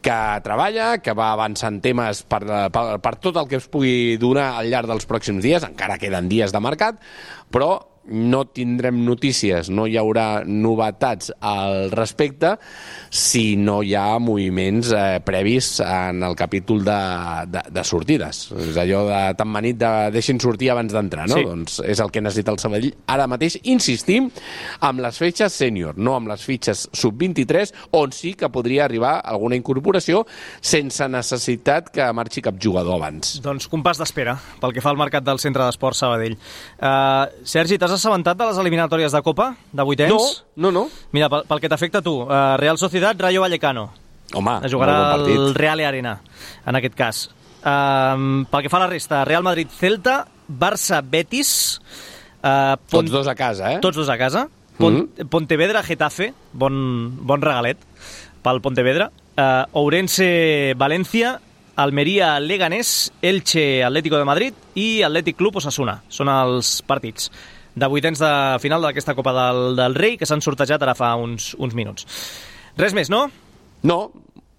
que treballa, que va avançant temes per, per, per tot el que es pugui donar al llarg dels pròxims dies, encara queden dies de mercat, però no tindrem notícies, no hi haurà novetats al respecte si no hi ha moviments eh, previs en el capítol de, de, de sortides. És allò de tan manit de deixin sortir abans d'entrar, no? Sí. Doncs és el que necessita el Sabadell ara mateix. Insistim amb les fitxes sènior, no amb les fitxes sub vint-i-tres, on sí que podria arribar alguna incorporació sense necessitat que marxi cap jugador abans. Doncs compàs d'espera pel que fa al mercat del Centre d'Esports Sabadell. Uh, Sergi, t'has assabentat de les eliminatòries de Copa, de vuitens? No, no, no. Mira, pel, pel que t'afecta a tu, uh, Real Sociedad, Rayo Vallecano. Home, Es jugarà molt bon partit. el Real Arena, en aquest cas. Uh, pel que fa a la resta, Real Madrid, Celta, Barça, Betis... Uh, Tots dos a casa, eh? Tots dos a casa. Pont, Mm-hmm. Pontevedra, Getafe, bon, bon regalet pel Pontevedra. Uh, Ourense, València, Almeria, Leganés, Elche, Atlético de Madrid i Atlètic Club Osasuna. Són els partits de vuitens de final d'aquesta Copa del, del Rei que s'han sortejat ara fa uns, uns minuts. Res més, no? No,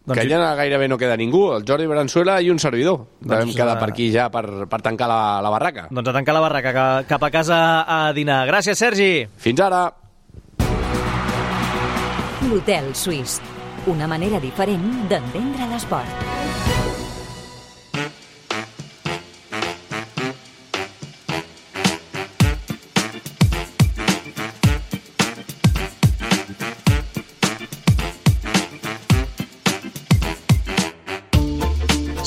Doncs que sí. ja gaire no queda ningú, el Jordi Venezuela i un servidor. Devem Doncs, quedar eh, per aquí ja per, per tancar la, la barraca. Doncs a tancar la barraca, que, cap a casa a dinar. Gràcies, Sergi! Fins ara! L'Hotel Suís. Una manera diferent d'entendre l'esport.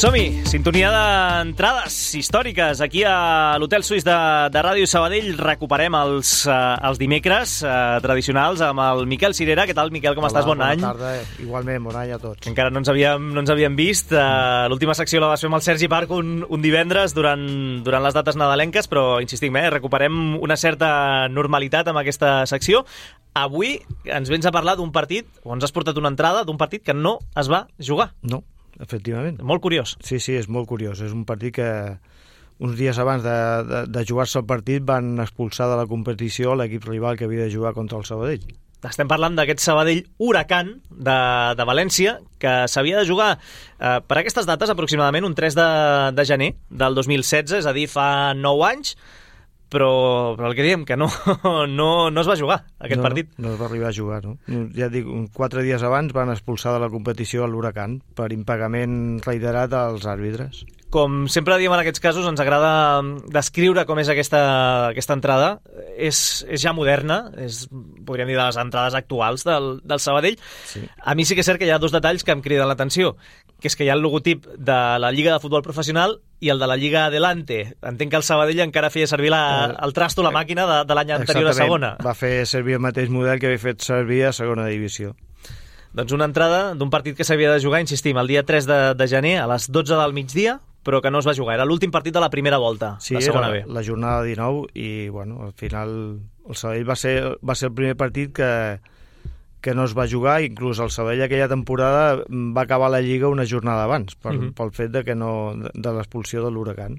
Som-hi! Sintonia d'entrades històriques aquí a l'Hotel Suís de, de Ràdio Sabadell. Recuperem els, uh, els dimecres uh, tradicionals amb el Miquel Cirera. Què tal, Miquel? Com Hola, estàs? Bon bona any. Bona tarda. Igualment, bon any a tots. Encara no ens havíem, no ens havíem vist. Uh, L'última secció la vas fer amb el Sergi Parc un, un divendres durant, durant les dates nadalenques, però insistim, eh, recuperem una certa normalitat amb aquesta secció. Avui ens vens a parlar d'un partit, o ens has portat una entrada d'un partit que no es va jugar. No, efectivament. Molt curiós. Sí, sí, és molt curiós. És un partit que uns dies abans de, de, de jugar-se el partit van expulsar de la competició l'equip rival que havia de jugar contra el Sabadell. Estem parlant d'aquest Sabadell Huracan de, de València, que s'havia de jugar eh, per aquestes dates, aproximadament un tres de, de gener del dos mil setze, és a dir, fa nou anys, però, però el que diem, que no, no, no es va jugar aquest no, partit. No, no es va arribar a jugar, no? Ja et dic, quatre dies abans van expulsar de la competició l'Huracan per impagament reiterat als àrbitres. Com sempre diem en aquests casos, ens agrada descriure com és aquesta, aquesta entrada. És, és ja moderna, és, podríem dir, de les entrades actuals del, del Sabadell. Sí. A mi sí que és cert que hi ha dos detalls que em criden l'atenció, que és que hi ha el logotip de la Lliga de Futbol Professional i el de la Lliga Adelante. Entenc que el Sabadell encara feia servir la, el trasto, la màquina de, de l'any anterior a segona. Va fer servir el mateix model que havia fet servir a segona divisió. Doncs una entrada d'un partit que s'havia de jugar, insistim, el dia tres de, de gener a les dotze del migdia, però que no es va jugar. Era l'últim partit de la primera volta, Sí, la segona era B. la jornada dinou i, bueno, al final el Sabadell va ser, va ser el primer partit que, que no es va jugar, inclús el Sabadell aquella temporada va acabar la Lliga una jornada abans, per, Mhm. pel fet de que no de, de l'expulsió de l'Huracan.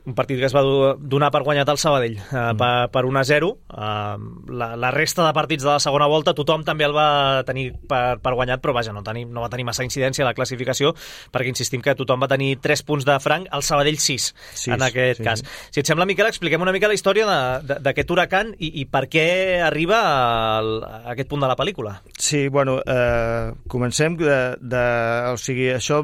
Un partit que es va do- donar per guanyat al Sabadell, eh, Mm. per, per un a zero. Eh, la, la resta de partits de la segona volta tothom també el va tenir per, per guanyat, però vaja, no, tenir, no va tenir massa incidència a la classificació, perquè insistim que tothom va tenir tres punts de franc, el Sabadell sis, Sis, en aquest sí. cas. Si et sembla, Miquel, expliquem una mica la història de- de- d'aquest Huracan i, i per què arriba al, a aquest punt de la pel·lícula. Sí, bueno, eh, comencem de, de... O sigui, això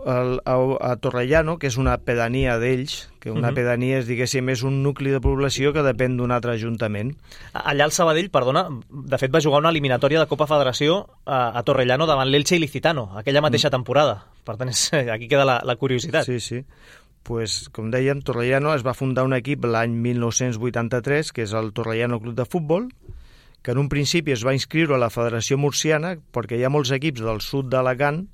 el, a, a Torrellano, que és una pedania d'ells, que una Mhm. pedania és, diguéssim, és un nucli de població que depèn d'un altre ajuntament. Allà el Sabadell, perdona, de fet va jugar una eliminatòria de Copa Federació a, a Torrellano davant l'Elche i Licitano, aquella mateixa temporada. Per tant, és, aquí queda la, la curiositat. Sí, sí. Pues, com dèiem, Torrellano es va fundar un equip l'any mil nou-cents vuitanta-tres, que és el Torrellano Club de Futbol, que en un principi es va inscriure a la Federació Murciana, perquè hi ha molts equips del sud d'Alacant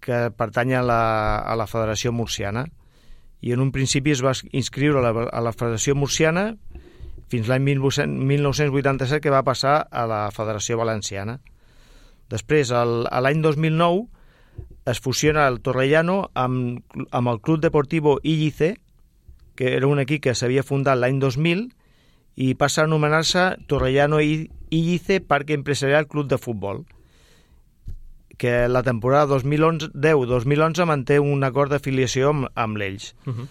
que pertanyen a la, a la Federació Murciana. I en un principi es va inscriure a la, a la Federació Murciana fins l'any mil nou-cents vuitanta-set, que va passar a la Federació Valenciana. Després, el, a l'any dos mil nou, es fusiona el Torrellano amb, amb el Club Deportivo Illice, que era un equip que s'havia fundat l'any dos mil, i passa a anomenar-se Torrellano Illice Parque Empresarial Club de Futbol. que la temporada dos mil deu dos mil onze manté un acord d'afiliació amb, amb l'Elx. Uh-huh.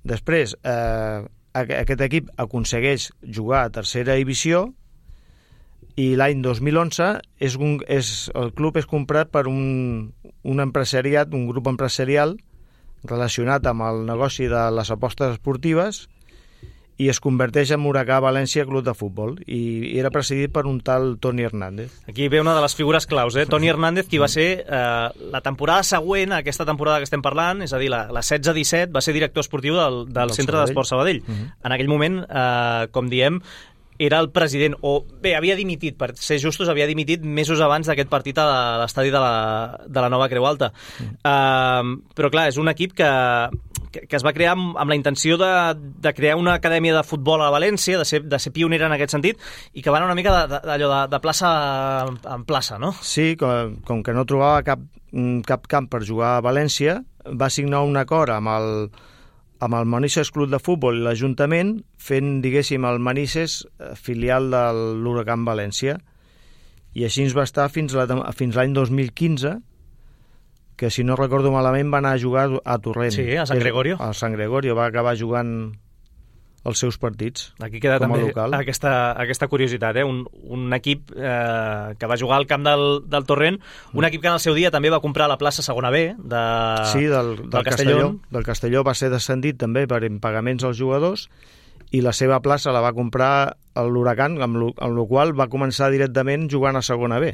Després, eh, aquest equip aconsegueix jugar a tercera divisió i l'any dos mil onze és un, és, el club és comprat per un, un empresariat, un grup empresarial relacionat amb el negoci de les apostes esportives i es converteix en Huracà València Club de Futbol i era presidit per un tal Toni Hernández. Aquí ve una de les figures claus, eh? Toni Hernández, qui va ser eh, la temporada següent a aquesta temporada que estem parlant, és a dir, la, la setze disset, va ser director esportiu del, del, del Centre d'Esport Sabadell. Uh-huh. En aquell moment, eh, com diem, era el president, o bé, havia dimitit, per ser justos, havia dimitit mesos abans d'aquest partit a l'estadi de, la, de la Nova Creu Alta. Uh-huh. Uh, però clar, és un equip que... que es va crear amb, amb la intenció de, de crear una acadèmia de futbol a València, de ser, de ser pionera en aquest sentit, i que van una mica d'allò de, de, de plaça en plaça, no? Sí, com, com que no trobava cap, cap camp per jugar a València, va signar un acord amb el, amb el Manises Club de Futbol i l'Ajuntament, fent, diguéssim, el Manises filial de l'Huracán València. I així ens va estar fins, la, fins l'any dos mil quinze, que si no recordo malament va anar a jugar a Torrent. Sí, a Sant Gregorio. A Sant Gregorio, va acabar jugant els seus partits. Aquí queda també local. Aquesta, aquesta curiositat, eh? un, un equip eh, que va jugar al camp del, del Torrent, un equip que en el seu dia també va comprar la plaça segona B de, sí, del, del, del Castelló. Castelló. Del Castelló va ser descendit també per impagaments als jugadors i la seva plaça la va comprar l'Huracán, amb la qual va començar directament jugant a segona B.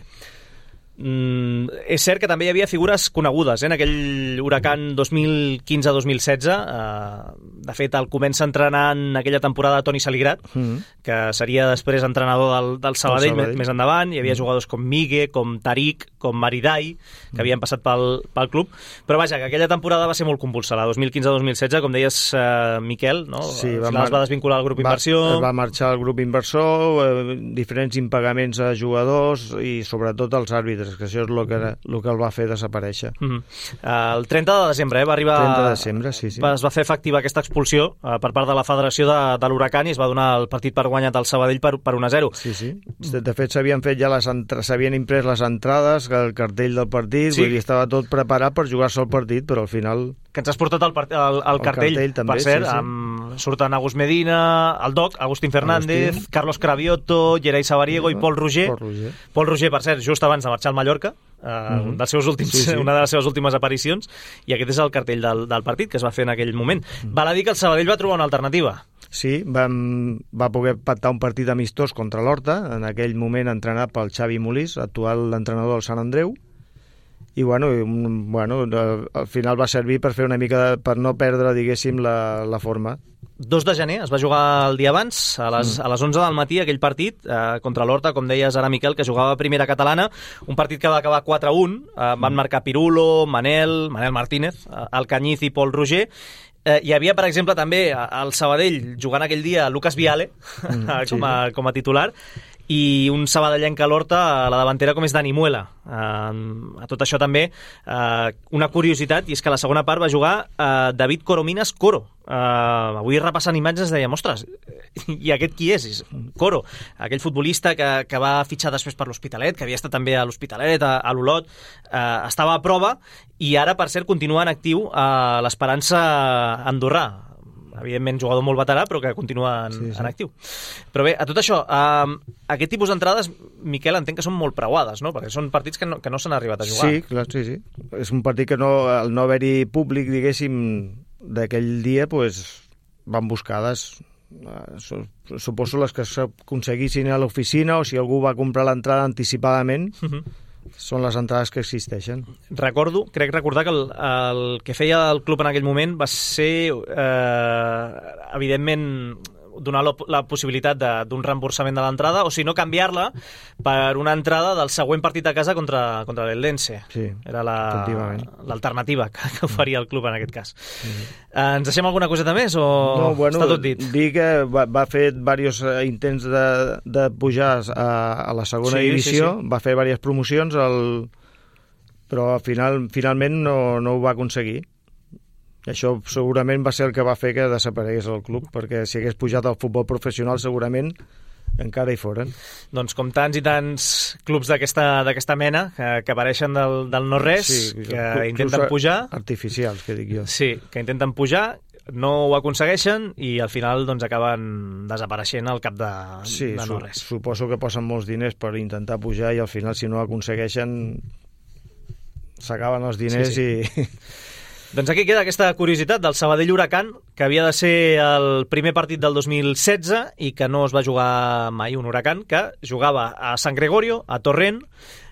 Mm, és cert que també hi havia figures conegudes eh, en aquell Huracán dos mil quinze dos mil setze. Eh, de fet, el comença entrenant en aquella temporada Toni Saligrat, mm-hmm. que seria després entrenador del, del Sabadell, Sabadell. Més endavant. Hi havia mm-hmm. jugadors com Migue, com Tariq, com Maridai, que mm-hmm. havien passat pel, pel club. Però vaja, que aquella temporada va ser molt convulsa, la dos mil quinze dos mil setze, com deies, eh, Miquel, no? Sí, va, mar... es va desvincular el grup va, inversió. Es va marxar el grup inversor, eh, diferents impagaments a jugadors i sobretot als àrbitres, que això és el que, el que el va fer desaparèixer. Mm-hmm. El trenta de desembre eh, va arribar... trenta de desembre, sí, sí. Es va fer efectiva aquesta expulsió eh, per part de la Federació de, de l'Huracán i es va donar el partit per guanyat al Sabadell per, per un a zero. Sí, sí. De fet, s'havien fet ja les entra... s'havien imprès les entrades, el cartell del partit, sí. Vull dir, estava tot preparat per jugar-se el partit, però al final... Que ens has portat el, part... el, el, el cartell, cartell també, per cert, sí, sí. Amb... surten Agus Medina, el Doc, Agustín Fernández, Agustín. Carlos Cravioto, Gerai Sabariego i Pol Roger. Pol Roger. Pol Roger, per cert, just abans de marxar al Mallorca, Uh, mm-hmm. un dels seus últims, sí, sí. una de les seves últimes aparicions, i aquest és el cartell del, del partit que es va fer en aquell moment. Mm. Val a dir que el Sabadell va trobar una alternativa. Sí, vam, va poder pactar un partit amistós contra l'Horta, en aquell moment entrenat pel Xavi Molís, actual entrenador del Sant Andreu, i bueno, bueno, al final va servir per fer una mica de, per no perdre, diguéssim, la, la forma. dos de gener, es va jugar el dia abans, a les, mm. a les onze del matí, aquell partit eh, contra l'Horta, com deies ara, Miquel, que jugava a primera catalana, un partit que va acabar quatre a un, eh, van marcar Pirulo, Manel, Manel Martínez, eh, Alcañiz i Pol Roger. Eh, hi havia, per exemple, també al Sabadell, jugant aquell dia, Lucas Viale, mm, com, sí. a, com a titular, i un sabadellenc a l'Horta a la davantera com és Dani Muela. Uh, a tot això també uh, una curiositat, i és que a la segona part va jugar uh, David Coromines Coro. Uh, avui repassant imatges dèiem, ostres, i aquest qui és? És Coro, aquell futbolista que, que va fitxar després per l'Hospitalet, que havia estat també a l'Hospitalet, a, a l'Olot, uh, estava a prova i ara, per cert, continua en actiu a l'Esperança Andorrà. Evidentment, jugador molt veterà, però que continua en, sí, sí. en actiu. Però bé, a tot això, eh, aquest tipus d'entrades, Miquel, entenc que són molt preuades, no? Perquè són partits que no, que no s'han arribat a jugar. Sí, clar, sí, sí. És un partit que no, al no haver-hi públic, diguéssim, d'aquell dia, pues, van buscades, eh, suposo les que s'aconseguissin a l'oficina, o si algú va comprar l'entrada anticipadament, uh-huh. són les entrades que existeixen. Recordo, crec recordar que el, el que feia el club en aquell moment va ser, eh, evidentment, donar la possibilitat d'un reemborsament de l'entrada, o si no, canviar-la per una entrada del següent partit a casa contra, contra l'Eldense. Sí, era l'alternativa la, que, que oferia el club en aquest cas. Sí. Eh, ens deixem alguna coseta més o no, bueno, està tot dit? Dir que va, va fer diversos intents de, de pujar a, a la segona sí, divisió, sí, sí. va fer diverses promocions, el... però al final, finalment no, no ho va aconseguir. I això segurament va ser el que va fer que desaparegués el club, perquè si hagués pujat al futbol professional segurament encara hi foren. Doncs com tants i tants clubs d'aquesta d'aquesta mena que, que apareixen del, del no-res, sí, que intenten pujar... Artificials, que dic jo. Sí, que intenten pujar, no ho aconsegueixen i al final doncs acaben desapareixent al cap de, sí, de no-res. Su, suposo que posen molts diners per intentar pujar i al final, si no ho aconsegueixen, s'acaben els diners sí, sí. i... Doncs aquí queda aquesta curiositat del Sabadell Huracán, que havia de ser el primer partit del dos mil setze i que no es va jugar mai, un Huracán que jugava a San Gregorio, a Torrent,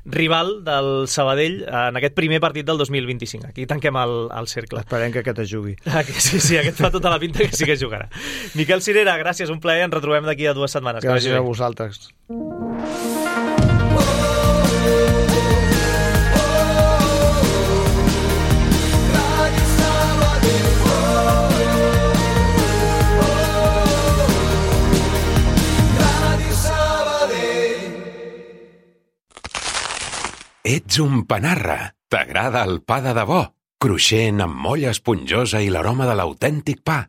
rival del Sabadell en aquest primer partit del dos mil vint-i-cinc. Aquí tanquem el, el cercle. Esperem que aquest es jugui. Ah, que sí, sí, aquest fa tota la pinta que sí que jugarà. Miquel Cirera, gràcies, un plaer, ens retrobem d'aquí a dues setmanes. Gràcies a vosaltres. Ets un panarra. T'agrada el pa de debò? Cruixent, amb molla esponjosa i l'aroma de l'autèntic pa.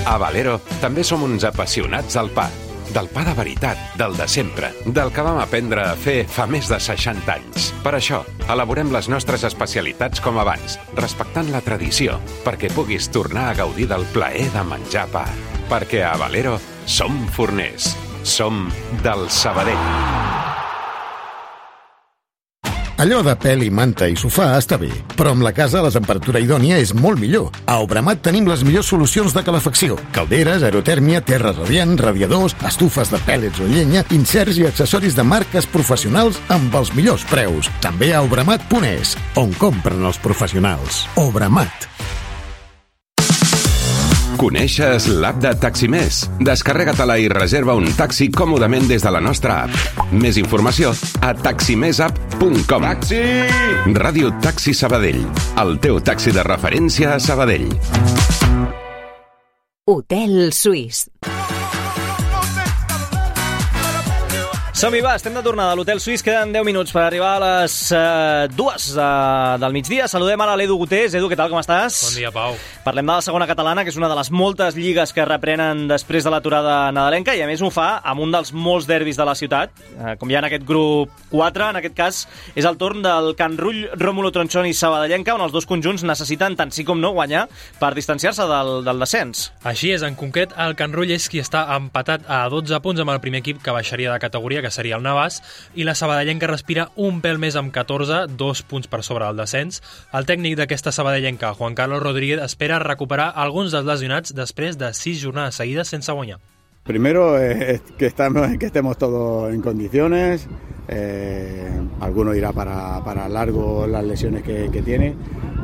A Valero també som uns apassionats del pa. Del pa de veritat, del de sempre, del que vam aprendre a fer fa més de seixanta anys. Per això, elaborem les nostres especialitats com abans, respectant la tradició, perquè puguis tornar a gaudir del plaer de menjar pa. Perquè a Valero som forners. Som del Sabadell. Allò de pèl i manta i sofà està bé, però amb la casa la temperatura idònia és molt millor. A Obramat tenim les millors solucions de calefacció. Calderes, aerotèrmia, terra radiant, radiadors, estufes de pèl·lets o llenya, inserts i accessoris de marques professionals amb els millors preus. També a obramat punt es, on compren els professionals. Obramat. Coneixes l'app de Taximés? Descarrega-te-la i reserva un taxi còmodament des de la nostra app. Més informació a taximessapp punt com. Taxi! Ràdio Taxi Sabadell, el teu taxi de referència a Sabadell. Hotel Suís. Som-hi, va, estem de tornada a l'Hotel Suís. Queden deu minuts per arribar a les uh, dues uh, del migdia. Saludem ara l'Edu Gutés. Edu, què tal, com estàs? Bon dia, Pau. Parlem de la segona catalana, que és una de les moltes lligues que reprenen després de l'aturada nadalenca, i a més ho fa amb un dels molts derbis de la ciutat. Uh, com hi ha en aquest grup quatre, en aquest cas és el torn del Can Rull, Rómulo Tronchón i Sabadellenca, on els dos conjunts necessiten tant sí com no guanyar per distanciar-se del, del descens. Així és, en concret, el Can Rull és qui està empatat a dotze punts amb el primer equip que baixaria de categoria, que seria el Navàs, i la Sabadellenca respira un pèl més amb catorze, dos punts per sobre del descens. El tècnic d'aquesta Sabadellenca, Juan Carlos Rodríguez, espera recuperar alguns dels lesionats després de sis jornades seguides sense guanyar. Primero es que, estamos, que estemos todos en condiciones, eh, alguno irá para, para largo las lesiones que, que tiene,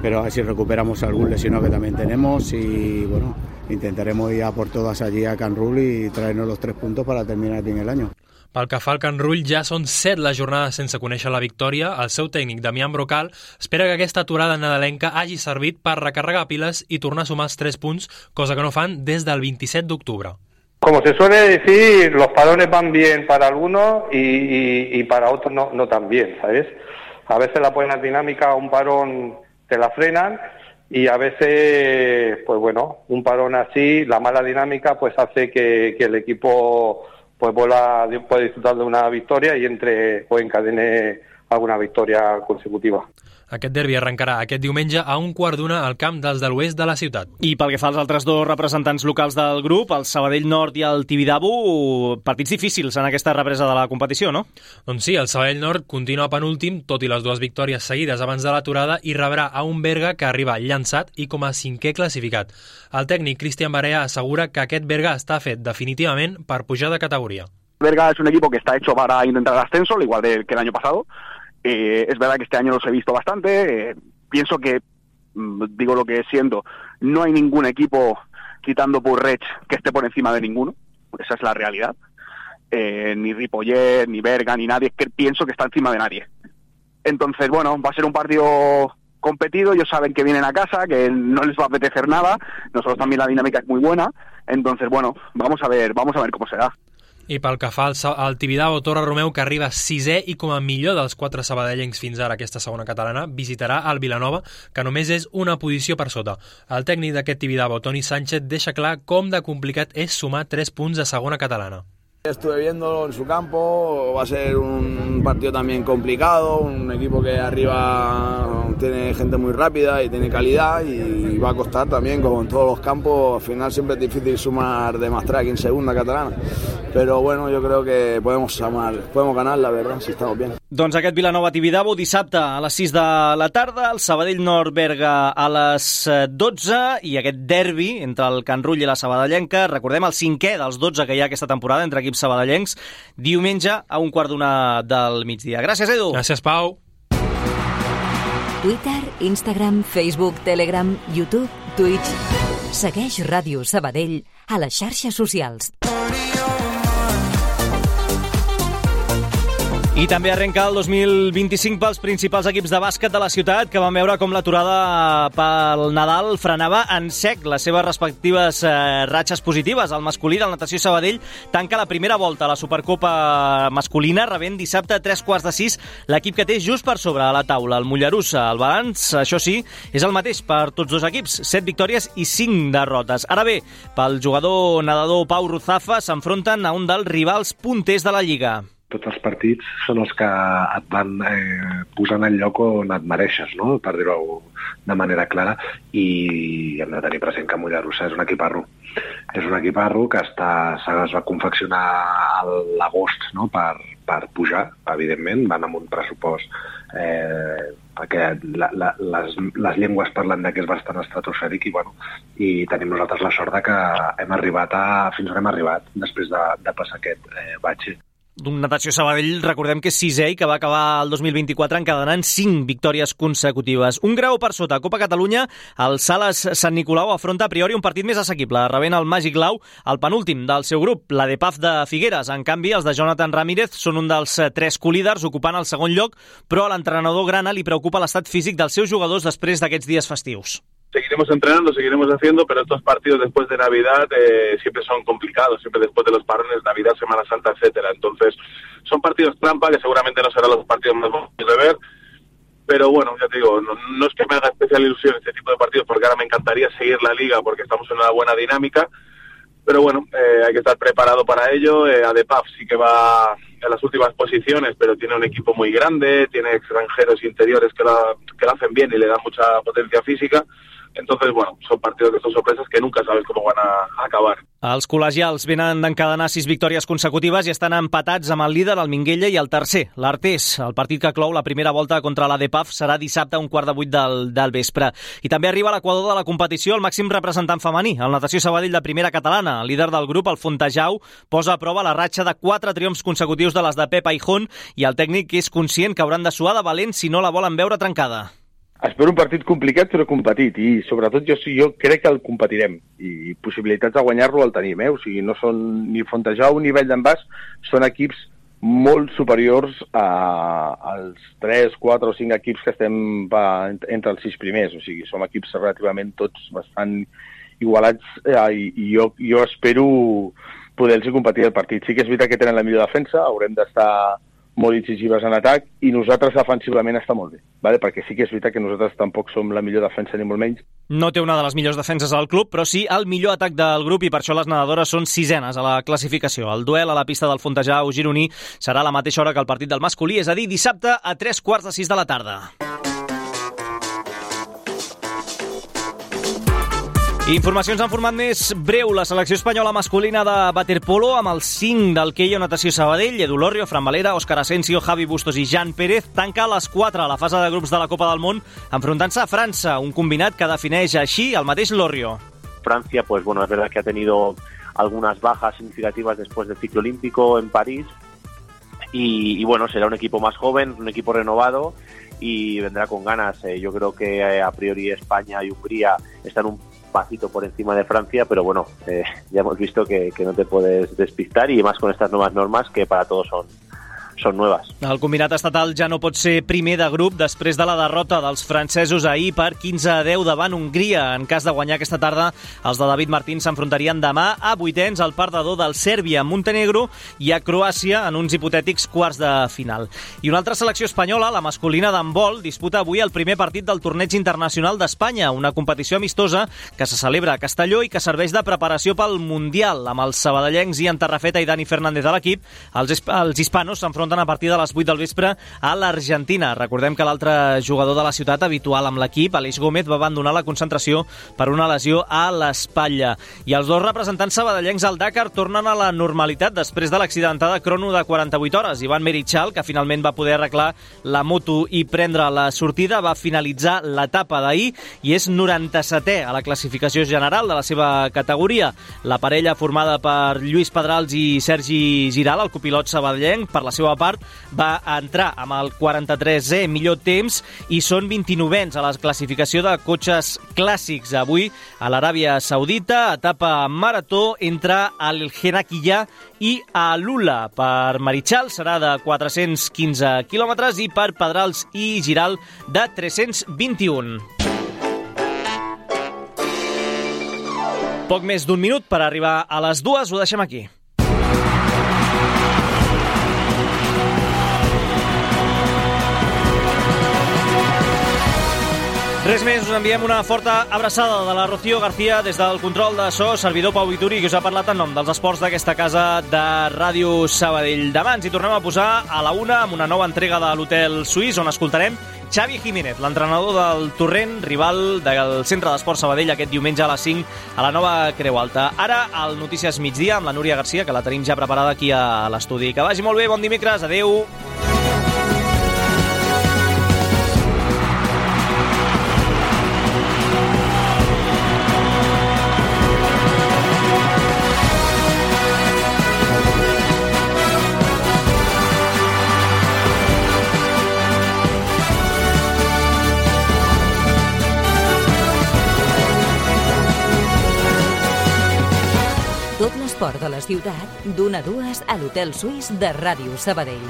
pero a ver si recuperamos algún lesionado que también tenemos y bueno, intentaremos ir a por todas allí a Can Rull y traernos los tres puntos para terminar bien el año. Pel que fa al Can Rull, ja són set les jornades sense conèixer la victòria. El seu tècnic, Damián Brocal, espera que aquesta aturada nadalenca hagi servit per recarregar piles i tornar a sumar els tres punts, cosa que no fan des del vint-i-set d'octubre. Como se suele decir, los parones van bien para algunos y, y, y para otros no, no tan bien, ¿sabes? A veces la buena dinámica, un parón te la frenan y a veces, pues bueno, un parón así, la mala dinámica pues hace que, que el equipo pues vuela, puede disfrutar de una victoria y entre o encadene alguna victoria consecutiva. Aquest derbi arrencarà aquest diumenge a un quart d'una al camp dels de l'oest de la ciutat. I pel que fa als altres dos representants locals del grup, el Sabadell Nord i el Tibidabo, partits difícils en aquesta represa de la competició, no? Doncs sí, el Sabadell Nord continua penúltim, tot i les dues victòries seguides abans de l'aturada, i rebrà a un Berga que arriba llançat i com a cinquè classificat. El tècnic Cristian Barea assegura que aquest Berga està fet definitivament per pujar de categoria. Berga es un equipo que está hecho para intentar el ascenso, al igual que el año pasado. Eh, es verdad que este año los he visto bastante, eh, pienso que, digo lo que siento, no hay ningún equipo, quitando Purrech, que esté por encima de ninguno, esa es la realidad, eh, ni Ripollet, ni Berga, ni nadie, que pienso que está encima de nadie. Entonces, bueno, va a ser un partido competido, ellos saben que vienen a casa, que no les va a apetecer nada, nosotros también la dinámica es muy buena, entonces, bueno, vamos a ver, vamos a ver cómo se da. I pel que fa al, al Tibidabo, Torre Romeu, que arriba sisè i com a millor dels quatre sabadellencs fins ara aquesta segona catalana, visitarà el Vilanova, que només és una posició per sota. El tècnic d'aquest Tibidabo, Toni Sánchez, deixa clar com de complicat és sumar tres punts a segona catalana. Estuve viéndolo en su campo, va a ser un partido también complicado, un equipo que arriba tiene gente muy rápida y tiene calidad y va a costar también, como en todos los campos, al final siempre es difícil sumar de más track en segunda catalana, pero bueno, yo creo que podemos sumar, podemos ganar, la verdad, si estamos bien. Doncs aquest Vilanova-Tibidabo dissabte a les sis de la tarda, el Sabadell-Nord-Berga a les dotze i aquest derbi entre el Can Rull i la Sabadellenca, recordem el cinquè dels dotze que hi ha aquesta temporada entre equips sabadellencs, diumenge a un quart d'una del migdia. Gràcies, Edu. Gràcies, Pau. Twitter, Instagram, Facebook, Telegram, YouTube, Twitch. Segueix Ràdio Sabadell a les xarxes socials. I també arrenca el dos mil vint-i-cinc pels principals equips de bàsquet de la ciutat, que van veure com l'aturada pel Nadal frenava en sec les seves respectives eh, ratxes positives. El masculí del Natació Sabadell tanca la primera volta a la Supercopa masculina, rebent dissabte a tres quarts de sis l'equip que té just per sobre a la taula, el Mollerussa. El balanç, això sí, és el mateix per tots dos equips, set victòries i cinc derrotes. Ara bé, pel jugador nedador Pau Ruzafa s'enfronten a un dels rivals punters de la Lliga. Tots els partits són els que et van eh, posant en lloc on et mereixes, no? Per dir-ho de manera clara, i hem de tenir present que Mollerussa és un equiparro. És un equiparro que està, es va confeccionar a l'agost, no? per, per pujar, evidentment, van amb un pressupost eh, perquè la, la, les, les llengües parlen de que és bastant estratosfèric i, bueno, i tenim nosaltres la sort de que hem arribat a, fins on hem arribat després de, de passar aquest eh, batxe. D'un Natació Sabadell, recordem que és sisè i que va acabar el dos mil vint-i-quatre encadenant cinc victòries consecutives. Un grau per sota. A Copa Catalunya, el Sales Sant Nicolau afronta a priori un partit més assequible, rebent el Màgic Lau, el penúltim del seu grup, la de Paf de Figueres. En canvi, els de Jonathan Ramírez són un dels tres colíders, ocupant el segon lloc, però a l'entrenador grana li preocupa l'estat físic dels seus jugadors després d'aquests dies festius. Seguiremos entrenando, seguiremos haciendo, pero estos partidos después de Navidad eh, siempre son complicados, siempre después de los parones, Navidad, Semana Santa, etcétera. Entonces, son partidos trampa que seguramente no serán los partidos más bonitos de ver, pero bueno, ya te digo, no, no es que me haga especial ilusión este tipo de partidos, porque ahora me encantaría seguir la Liga porque estamos en una buena dinámica, pero bueno, eh, hay que estar preparado para ello. Eh, Adepaf sí que va en las últimas posiciones, pero tiene un equipo muy grande, tiene extranjeros interiores que la, que la hacen bien y le dan mucha potencia física. Entonces, bueno, son partidos que son sorpresas que nunca sabes cómo van a acabar. Els col·legials venen d'encadenar sis victòries consecutives i estan empatats amb el líder, el Minguella, i el tercer, l'Artés. El partit que clou la primera volta contra l'A D P A F serà dissabte a un quart de vuit del, del vespre. I també arriba a l'equador de la competició el màxim representant femení, el Natació Sabadell de primera catalana. El líder del grup, el Fontejau, posa a prova la ratxa de quatre triomfs consecutius de les de Pep Aijón, i el tècnic és conscient que hauran de suar de valent si no la volen veure trencada. Espero un partit complicat però competit, i sobretot jo, jo crec que el competirem, i possibilitats de guanyar-lo el tenim, eh? O sigui, no són ni Fontejau ni Vall d'en Bas, són equips molt superiors a, als tres, quatre o cinc equips que estem va, entre els sis primers, o sigui, som equips relativament tots bastant igualats, eh, i, i jo, jo espero poder-los competir el partit. Sí que és veritat que tenen la millor defensa, haurem d'estar molt incisives en atac, i nosaltres defensivament està molt bé, ¿vale? Perquè sí que és veritat que nosaltres tampoc som la millor defensa ni molt menys. No té una de les millors defenses al club, però sí el millor atac del grup, i per això les nedadores són sisenes a la classificació. El duel a la pista del Fontejau gironí serà a la mateixa hora que el partit del masculí, és a dir, dissabte a tres quarts de sis de la tarda. Informacions en format més breu. La selecció espanyola masculina de waterpolo, amb els cinc del Queio Natació Sabadell, Edu Lorrio, Fran Valera, Òscar Asensio, Javi Bustos i Jan Pérez, tanca a les quatre a la fase de grups de la Copa del Món, enfrontant-se a França, un combinat que defineix així el mateix Lorrio. Francia, pues bueno, es verdad que ha tenido algunas bajas significativas después del ciclo olímpico en París, y, y bueno, será un equipo más joven, un equipo renovado, y vendrá con ganas. Eh, yo creo que eh, a priori España y Hungría están un pasito por encima de Francia, pero bueno, eh, ya hemos visto que, que no te puedes despistar, y más con estas nuevas normas que para todos son, son nuevas. El combinat estatal ja no pot ser primer de grup després de la derrota dels francesos ahir per quinze a deu davant Hongria. En cas de guanyar aquesta tarda, els de David Martín s'enfrontarien demà a vuitens al perdedor del Sèrbia-Montenegro i a Croàcia en uns hipotètics quarts de final. I una altra selecció espanyola, la masculina d'handbol, disputa avui el primer partit del Torneig Internacional d'Espanya, una competició amistosa que se celebra a Castelló i que serveix de preparació pel Mundial. Amb els sabadellencs i en Tarrafeta i Dani Fernández a l'equip, els, els hispanos s'enfronten a partir de les vuit del vespre a l'Argentina. Recordem que l'altre jugador de la ciutat habitual amb l'equip, Aleix Gómez, va abandonar la concentració per una lesió a l'espatlla. I els dos representants sabadellencs al Dakar tornen a la normalitat després de l'accidentada crono de quaranta-vuit hores. Ivan Merichal, que finalment va poder arreglar la moto i prendre la sortida, va finalitzar l'etapa d'ahir i és noranta-setè a la classificació general de la seva categoria. La parella formada per Lluís Pedrals i Sergi Giral, el copilot sabadellenc, per la seva part, va entrar amb el quaranta-tresè millor temps i són vint-i-novens a la classificació de cotxes clàssics. Avui, a l'Aràbia Saudita, etapa marató entre el Herakiyah i Alula. Per Merichal serà de quatre-cents quinze quilòmetres i per Pedrals i Giral de tres-cents vint-i-un. Poc més d'un minut per arribar a les dues, ho deixem aquí. Res més, us enviem una forta abraçada de la Rocío García des del control de so, servidor Pau Vituri, que us ha parlat en nom dels esports d'aquesta casa de Ràdio Sabadell. Demà ens hi tornem a posar a la una amb una nova entrega de l'Hotel Suís, on escoltarem Xavi Jiménez, l'entrenador del Torrent, rival del Centre d'Esport Sabadell aquest diumenge a les cinc a la nova Creu Alta. Ara, al Notícies Migdia amb la Núria Garcia, que la tenim ja preparada aquí a l'estudi. Que vagi molt bé, bon dimecres, adeu! Tot l'esport de la ciutat, d'una a dues a l'Hotel Suís de Ràdio Sabadell.